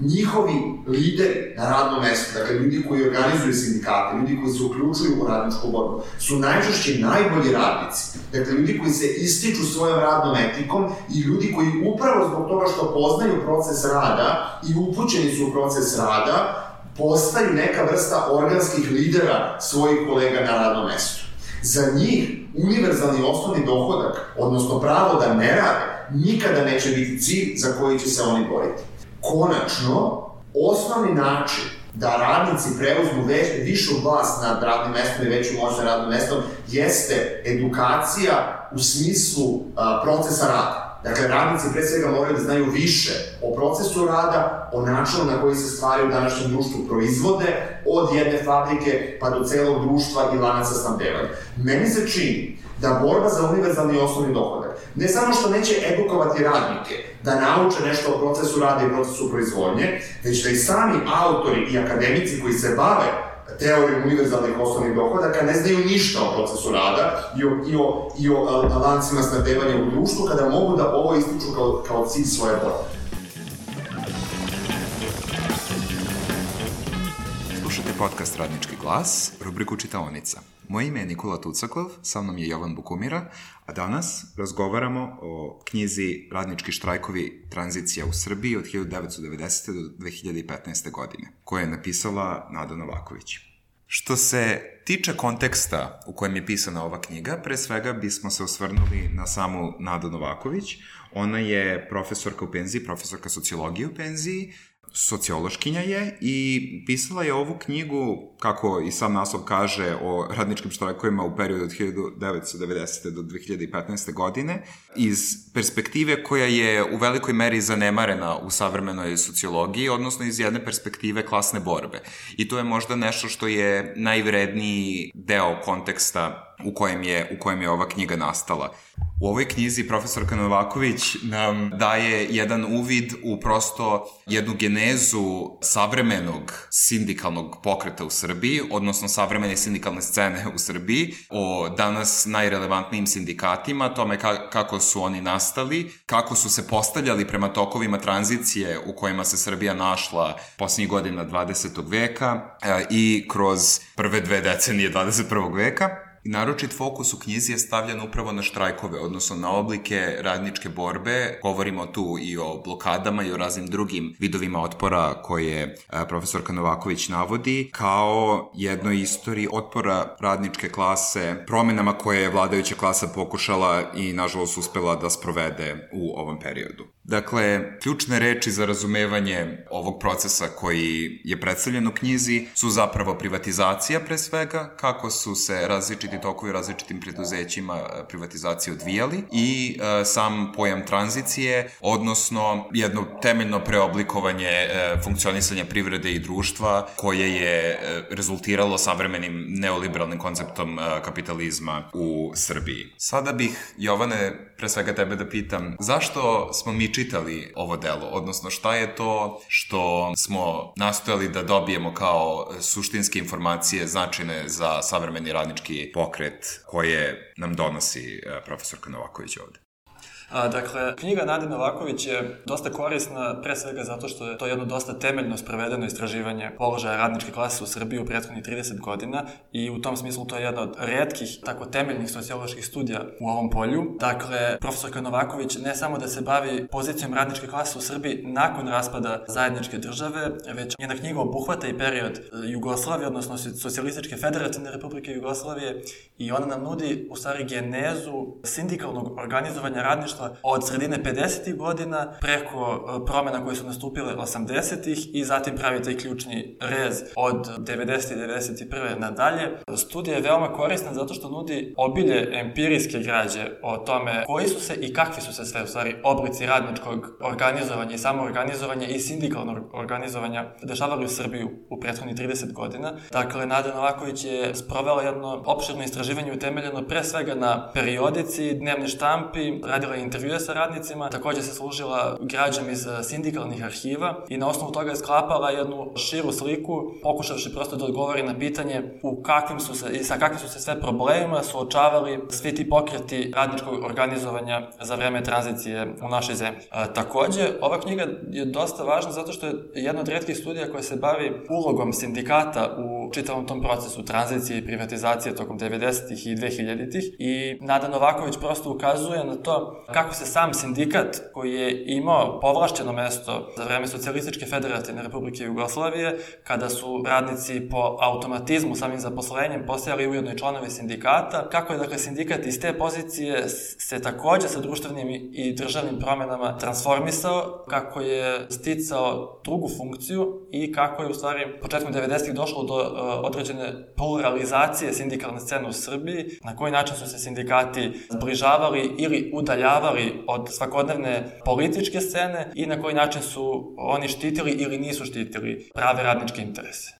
Njihovi lideri na radnom mestu, dakle ljudi koji organizuju sindikate, ljudi koji se uključuju u radničku borbu, su najčešće najbolji radnici. Dakle, ljudi koji se ističu svojom radnom etikom i ljudi koji upravo zbog toga što poznaju proces rada i upućeni su u proces rada, postaju neka vrsta organskih lidera svojih kolega na radnom mestu. Za njih univerzalni osnovni dohodak, odnosno pravo da ne rade, nikada neće biti cilj za koji će se oni boriti. Konačno, osnovni način da radnici preuzmu već, višu vlast nad radnim mestom i veću moć nad radnim mestom jeste edukacija u smislu a, procesa rada. Dakle, radnici pre svega moraju da znaju više o procesu rada, o načinu na koji se stvari u današnjem društvu proizvode, od jedne fabrike pa do celog društva i lanaca snabdevanja. Meni se čini da borba za univerzalni osnovni dohodak ne samo što neće edukovati radnike da nauče nešto o procesu rada i procesu proizvodnje, već da i sami autori i akademici koji se bave teorijom univerzalnih osnovnih dohodaka ne znaju ništa o procesu rada i o, i o, i o a, lancima snabdevanja u društvu, kada mogu da ovo ističu kao, kao cilj svoje borbe. Slušajte podcast Radnički glas, rubriku Čitaonica. Moje ime je Nikola Tucakov, sa mnom je Jovan Bukumira, a danas razgovaramo o knjizi Radnički štrajkovi, tranzicija u Srbiji od hiljadu devetsto devedesete. do dve hiljade petnaeste. godine, koje je napisala Nada Novaković. Što se tiče konteksta u kojem je pisana ova knjiga, pre svega bismo se osvrnuli na samu Nadu Novaković. Ona je profesorka u penziji, profesorka sociologije u penziji, sociološkinja je i pisala je ovu knjigu, kako i sam naslov kaže, o radničkim štrajkovima u periodu od hiljadu devetsto devedesete. do dve hiljade petnaeste. godine, iz perspektive koja je u velikoj meri zanemarena u savremenoj sociologiji, odnosno iz jedne perspektive klasne borbe. I to je možda nešto što je najvredniji deo konteksta u kojem je, u kojem je ova knjiga nastala. U ovoj knjizi profesorka Novaković nam daje jedan uvid u prosto jednu genezu savremenog sindikalnog pokreta u Srbiji, odnosno savremene sindikalne scene u Srbiji, o danas najrelevantnijim sindikatima, tome ka- kako su oni nastali, kako su se postavljali prema tokovima tranzicije u kojima se Srbija našla posljednjih godina dvadesetog veka e, i kroz prve dve decenije dvadeset prvog veka. Naročit fokus u knjizi je stavljen upravo na štrajkove, odnosno na oblike radničke borbe. Govorimo tu i o blokadama i o raznim drugim vidovima otpora koje profesorka Novaković navodi, kao jednoj istoriji otpora radničke klase, promenama koje je vladajuća klasa pokušala i nažalost uspela da sprovede u ovom periodu. Dakle, ključne reči za razumevanje ovog procesa koji je predstavljen u knjizi su zapravo privatizacija pre svega, kako su se različiti tokovi različitim preduzećima privatizacije odvijali i e, sam pojam tranzicije, odnosno jedno temeljno preoblikovanje e, funkcionisanja privrede i društva koje je e, rezultiralo savremenim neoliberalnim konceptom e, kapitalizma u Srbiji. Sada bih, Jovane, pre svega tebe da pitam, zašto smo mi čitali ovo delo, odnosno šta je to što smo nastojali da dobijemo kao suštinske informacije značajne za savremeni radnički pokret koje nam donosi profesorka Novaković ovde? A, dakle, knjiga Nade Novaković je dosta korisna, pre svega zato što je to jedno dosta temeljno sprovedeno istraživanje položaja radničke klase u Srbiji u prethodnih trideset godina i u tom smislu to je jedna od retkih, tako temeljnih socioloških studija u ovom polju. Dakle, profesorka Novaković ne samo da se bavi pozicijom radničke klase u Srbiji nakon raspada zajedničke države, već njena knjiga obuhvata i period Jugoslavije, odnosno Socijalističke federativne republike Jugoslavije, i ona nam nudi u stvari genezu sindikalnog organizovanja radništva od sredine pedesetih godina preko promjena koje su nastupile osamdesetih i zatim pravi taj ključni rez od devedesete i devedeset prve nadalje. Studija je veoma korisna zato što nudi obilje empirijske građe o tome koji su se i kakvi su se sve u stvari oblici radničkog organizovanja i samoorganizovanja i sindikalnog organizovanja dešavali u Srbiju u prethodnih trideset godina. Dakle, Nada Novaković je sprovela jedno opširno istraživanje utemeljeno pre svega na periodici, dnevne štampi, radila je intervjue sa radnicima, također se služila građom iz sindikalnih arhiva i na osnovu toga je sklapala jednu širu sliku, pokušavši prosto da odgovori na pitanje u kakvim su se i sa kakvim su se sve problemima suočavali svi ti pokreti radničkog organizovanja za vreme tranzicije u našoj zemlji. A, također, ova knjiga je dosta važna zato što je jedna od retkih studija koja se bavi ulogom sindikata u čitavom tom procesu tranzicije i privatizacije tokom devedesetih i dvehiljaditih i Nada Novaković prosto ukazuje na to kako se sam sindikat koji je imao povlašćeno mesto za vreme Socijalističke federativne republike Jugoslavije, kada su radnici po automatizmu samim zaposlenjem postajali ujedno i članovi sindikata, kako je dakle sindikat iz te pozicije se takođe sa društvenim i državnim promenama transformisao, kako je sticao drugu funkciju i kako je u stvari početkom devedesetih došlo do uh, određene pluralizacije sindikalne scene u Srbiji, na koji način su se sindikati zbližavali ili udaljavali od svakodnevne političke scene i na koji način su oni štitili ili nisu štitili prave radničke interese.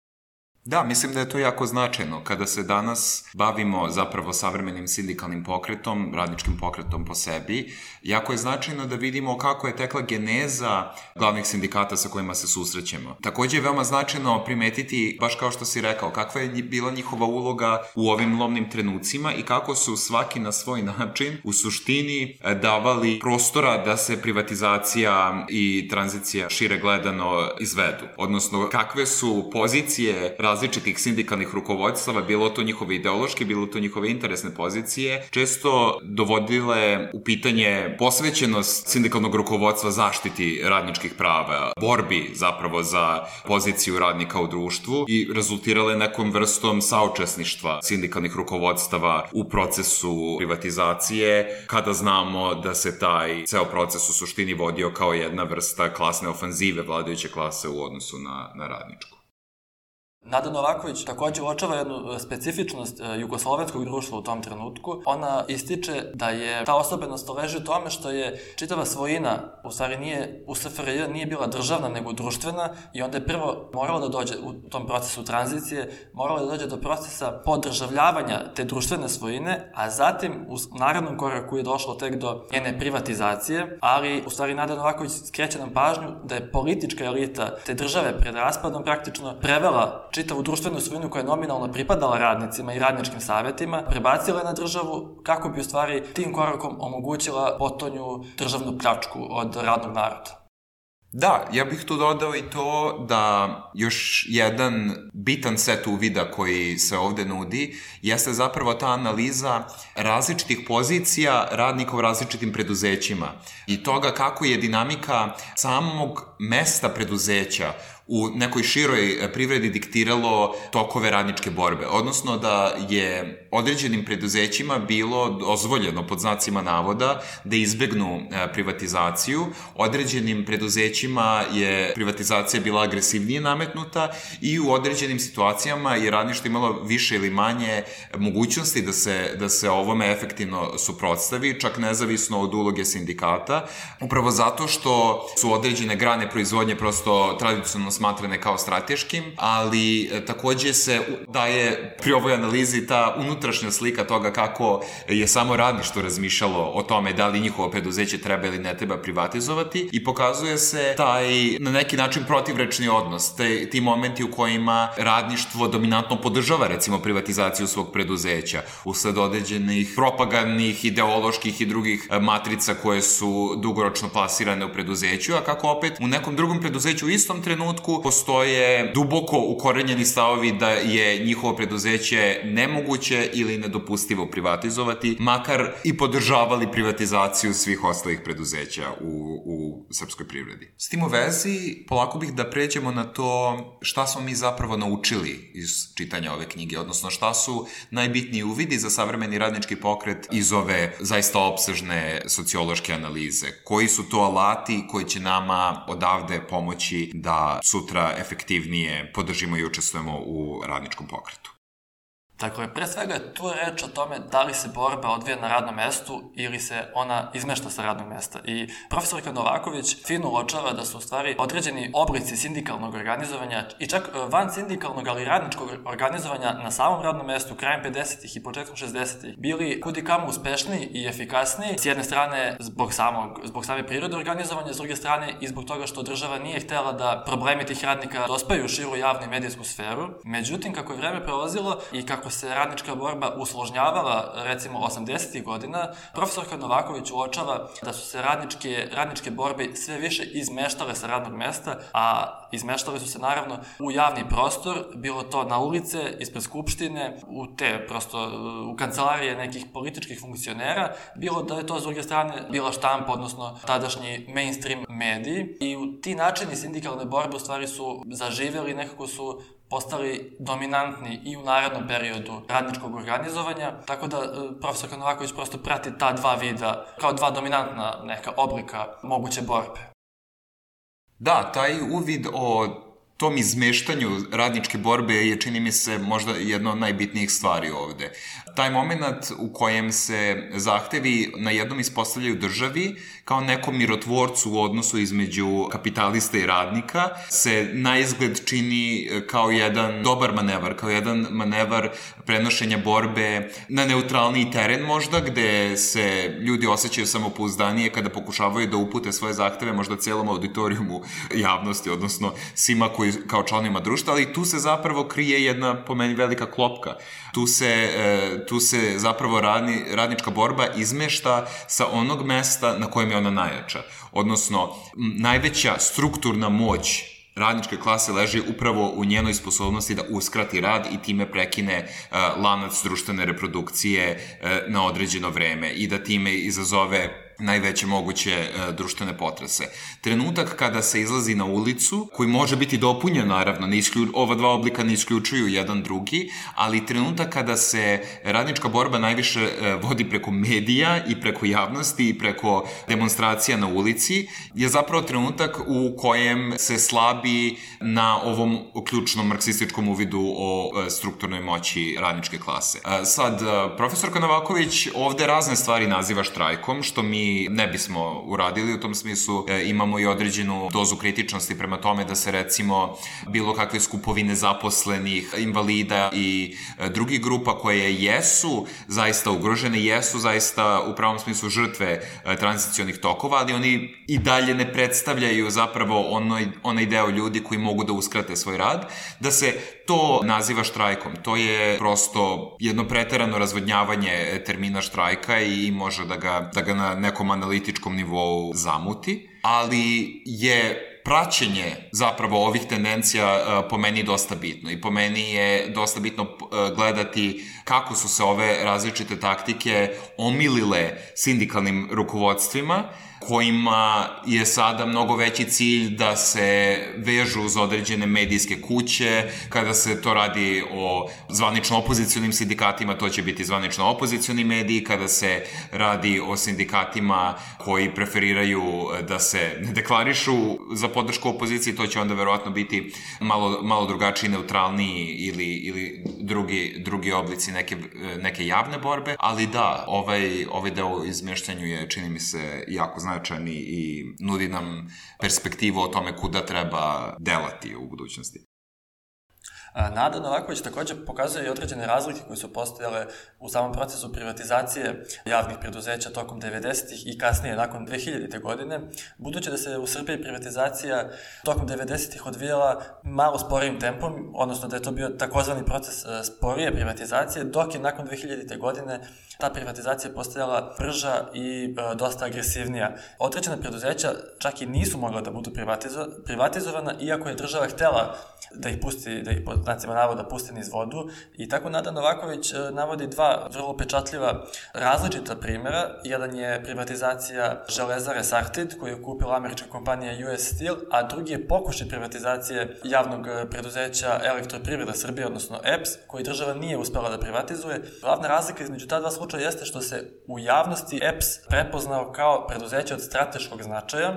Da, mislim da je to jako značajno. Kada se danas bavimo zapravo savremenim sindikalnim pokretom, radničkim pokretom po sebi, jako je značajno da vidimo kako je tekla geneza glavnih sindikata sa kojima se susrećemo. Takođe je veoma značajno primetiti, baš kao što si rekao, kakva je bila njihova uloga u ovim lomnim trenucima i kako su svaki na svoj način u suštini davali prostora da se privatizacija i tranzicija šire gledano izvedu. Odnosno, kakve su pozicije različitih sindikalnih rukovodstava, bilo to njihove ideološke, bilo to njihove interesne pozicije, često dovodile u pitanje posvećenost sindikalnog rukovodstva zaštiti radničkih prava, borbi zapravo za poziciju radnika u društvu i rezultirale nekom vrstom saučesništva sindikalnih rukovodstava u procesu privatizacije, kada znamo da se taj ceo proces u suštini vodio kao jedna vrsta klasne ofanzive vladajuće klase u odnosu na, na radničku. Nada Novaković takođe uočava jednu specifičnost jugoslovenskog društva u tom trenutku. Ona ističe da je ta osobenost leži u tome što je čitava svojina, u stvari nije, u S F R J nije bila državna nego društvena i onda je prvo moralo da dođe u tom procesu tranzicije, moralo da dođe do procesa podržavljavanja te društvene svojine, a zatim u narednom koraku je došlo tek do njene privatizacije, ali u stvari Nada Novaković skreće nam pažnju da je politička elita te države pred raspadom praktično prevela čitavu društvenu svojinu koja je nominalno pripadala radnicima i radničkim savetima, prebacila na državu kako bi u stvari tim korakom omogućila potonju državnu pljačku od radnog naroda. Da, ja bih tu dodao i to da još jedan bitan set uvida koji se ovde nudi jeste zapravo ta analiza različitih pozicija radnika u različitim preduzećima i toga kako je dinamika samog mesta preduzeća u nekoj široj privredi diktiralo tokove radničke borbe. Odnosno da je određenim preduzećima bilo dozvoljeno pod znacima navoda da izbegnu privatizaciju. Određenim preduzećima je privatizacija bila agresivnije nametnuta i u određenim situacijama je radništvo imalo više ili manje mogućnosti da se, da se ovome efektivno suprotstavi, čak nezavisno od uloge sindikata. Upravo zato što su određene grane proizvodnje prosto tradicionalno smatrane kao strateškim, ali takođe se daje pri ovoj analizi ta unutrašnja slika toga kako je samo radništvo razmišljalo o tome da li njihovo preduzeće treba ili ne treba privatizovati i pokazuje se taj na neki način protivrečni odnos, te, ti momenti u kojima radništvo dominantno podržava recimo privatizaciju svog preduzeća usled određenih propagandnih, ideoloških i drugih matrica koje su dugoročno plasirane u preduzeću, a kako opet u nekom drugom preduzeću u istom trenutku postoje duboko ukorenjeni stavovi da je njihovo preduzeće nemoguće ili nedopustivo privatizovati, makar i podržavali privatizaciju svih ostalih preduzeća u, u srpskoj privredi. S tim u vezi, polako bih da pređemo na to šta smo mi zapravo naučili iz čitanja ove knjige, odnosno šta su najbitniji uvidi za savremeni radnički pokret iz ove zaista opsežne sociološke analize. Koji su to alati koji će nama odavde pomoći da sutra efektivnije podržimo i učestvujemo u radničkom pokretu? Dakle, pre svega je tu reč o tome da li se borba odvija na radnom mestu ili se ona izmešta sa radnog mesta. I profesorka Novaković fino uočava da su u stvari određeni oblici sindikalnog organizovanja i čak van sindikalnog, ali radničkog organizovanja na samom radnom mestu krajem pedesetih i početkom šezdesetih bili kudikamo uspešniji i efikasniji. S jedne strane zbog, samog, zbog same prirode organizovanja, s druge strane i zbog toga što država nije htela da problemi tih radnika dospaju u širu javnu i medijsku sferu. Međutim, kako je vreme prolazilo i kako se radnička borba usložnjavala, recimo osamdesetih godina, profesorka Novaković uočava da su se radničke, radničke borbe sve više izmeštale sa radnog mesta, a a izmeštali su se naravno u javni prostor, bilo to na ulice, ispred Skupštine, u te prosto u kancelarije nekih političkih funkcionera, bilo da je to s druge strane bila štampa, odnosno tadašnji mainstream mediji, i u ti načini sindikalne borbe u stvari su zaživjeli, nekako su postali dominantni i u narednom periodu radničkog organizovanja, tako da profesor Novaković prosto prati ta dva vida kao dva dominantna neka oblika moguće borbe. Da, taj uvid o tom izmeštanju radničke borbe je, čini mi se, možda jedna od najbitnijih stvari ovde. Taj moment u kojem se zahtevi na jednom ispostavljaju državi kao nekom mirotvorcu u odnosu između kapitalista i radnika se na izgled čini kao jedan dobar manevar, kao jedan manevar prenošenja borbe na neutralniji teren možda, gde se ljudi osjećaju samopouzdanije kada pokušavaju da upute svoje zahteve možda celom auditorijumu javnosti, odnosno svima koji kao članima društva, ali tu se zapravo krije jedna, po meni, velika klopka. Tu se, tu se zapravo radni, radnička borba izmešta sa onog mesta na kojem je ona najjača. Odnosno, najveća strukturna moć radničke klase leži upravo u njenoj sposobnosti da uskrati rad i time prekine uh, lanac društvene reprodukcije uh, na određeno vreme i da time izazove najveće moguće e, društvene potrese. Trenutak kada se izlazi na ulicu, koji može biti dopunjen, naravno, ne isklju, ova dva oblika ne isključuju jedan drugi, ali trenutak kada se radnička borba najviše e, vodi preko medija i preko javnosti i preko demonstracija na ulici, je zapravo trenutak u kojem se slabi na ovom ključnom marksističkom uvidu o e, strukturnoj moći radničke klase. E, sad, e, profesorka Novaković ovde razne stvari naziva štrajkom, što mi ne bismo uradili. U tom smislu e, imamo i određenu dozu kritičnosti prema tome da se, recimo, bilo kakve skupovi nezaposlenih, invalida i e, drugih grupa koje jesu zaista ugrožene, jesu zaista u pravom smislu žrtve e, tranzicionih tokova, ali oni i dalje ne predstavljaju zapravo onaj, onaj deo ljudi koji mogu da uskrate svoj rad, da se to naziva štrajkom. To je prosto jedno preterano razvodnjavanje termina štrajka i može da ga, da ga na nekom analitičkom nivou zamuti, ali je praćenje zapravo ovih tendencija po meni dosta bitno i po meni je dosta bitno gledati kako su se ove različite taktike omilile sindikalnim rukovodstvima, kojima je sada mnogo veći cilj da se vežu uz određene medijske kuće. Kada se to radi o zvanično opozicionim sindikatima, to će biti zvanično opozicioni mediji. Kada se radi o sindikatima koji preferiraju da se ne deklarišu za podršku opoziciji, to će onda verovatno biti malo, malo drugačiji, neutralniji ili, ili drugi, drugi oblici neke, neke javne borbe. Ali da, ovaj, ovaj deo izmeštanju je, čini mi se, jako značajan i nudi nam perspektivu o tome kuda treba delati u budućnosti. Nada Novaković također pokazuje i određene razlike koje su postojale u samom procesu privatizacije javnih preduzeća tokom devedesetih i kasnije nakon dve hiljadite godine, budući da se u Srbiji privatizacija tokom devedesetih odvijala malo sporijim tempom, odnosno da je to bio takozvani proces sporije privatizacije, dok je nakon dve hiljadite godine ta privatizacija postajala brža i dosta agresivnija. Određena preduzeća čak i nisu mogla da budu privatizo- privatizovana, iako je država htela da ih pusti, da ih po znacima navoda pusti niz vodu, i tako Nada Novaković navodi dva vrlo pečatljiva različita primjera. Jedan je privatizacija železare Sartid, koju je kupila američka kompanija U S Steel, a drugi je pokušaj privatizacije javnog preduzeća Elektroprivreda Srbije, odnosno E P S, koji država nije uspela da privatizuje. Glavna razlika između ta dva slučaja jeste što se u javnosti E P S prepoznao kao preduzeće od strateškog značaja,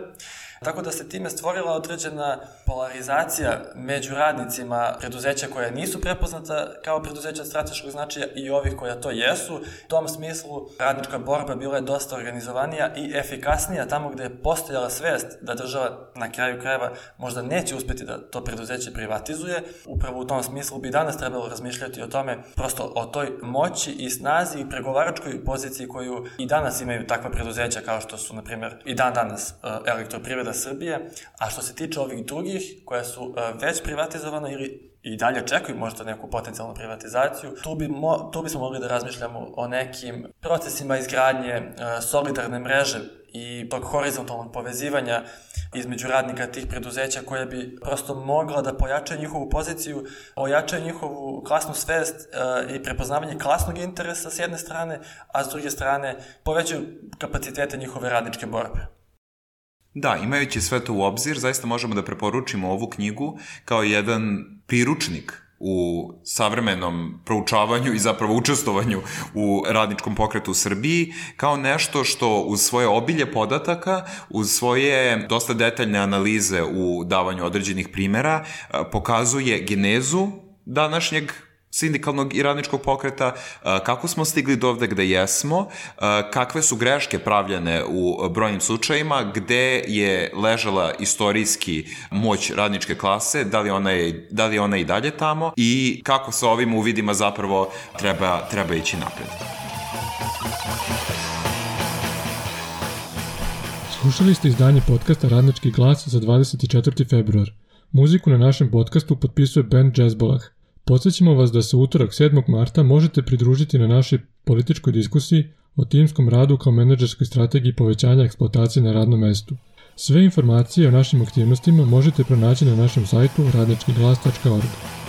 tako da se time stvorila određena polarizacija među radnicima preduzeća koja nisu prepoznata kao preduzeća od strateškog značaja i ovih koja to jesu. U tom smislu radnička borba bila je dosta organizovanija i efikasnija tamo gde je postojala svest da država na kraju krajeva možda neće uspeti da to preduzeće privatizuje. Upravo u tom smislu bi danas trebalo razmišljati o tome, prosto o toj moći i snazi i pregovaračkoj poziciji koju i danas imaju takva preduzeća kao što su, na primjer, i dan danas Elektroprivreda Srbije, a što se tiče ovih drugih koja su uh, već privatizovana ili i dalje čekaju možda neku potencijalnu privatizaciju, tu, bi mo, tu bismo mogli da razmišljamo o nekim procesima izgradnje uh, solidarne mreže i tog horizontalnog povezivanja između radnika tih preduzeća koja bi prosto mogla da pojača njihovu poziciju, ojača njihovu klasnu svest e, i prepoznavanje klasnog interesa s jedne strane, a s druge strane povećaju kapacitete njihove radničke borbe. Da, imajući sve to u obzir, zaista možemo da preporučimo ovu knjigu kao jedan priručnik u savremenom proučavanju i zapravo učestvovanju u radničkom pokretu u Srbiji, kao nešto što uz svoje obilje podataka, uz svoje dosta detaljne analize u davanju određenih primera, pokazuje genezu današnjeg sindikalnog i radničkog pokreta, kako smo stigli do ovde gde jesmo, kakve su greške pravljene u brojnim slučajima, gde je ležala istorijski moć radničke klase, da li ona je, da li ona i dalje tamo i kako sa ovim uvidima zapravo treba, treba ići napred. Slušali ste izdanje podcasta Radnički glas za dvadeset četvrti februar. Muziku na našem podcastu potpisuje band Jazzbolah. Podsjećamo vas da se utorak sedmog marta možete pridružiti na našoj političkoj diskusiji o timskom radu kao menadžerskoj strategiji povećanja eksploatacije na radnom mestu. Sve informacije o našim aktivnostima možete pronaći na našem sajtu radnički glas tačka org.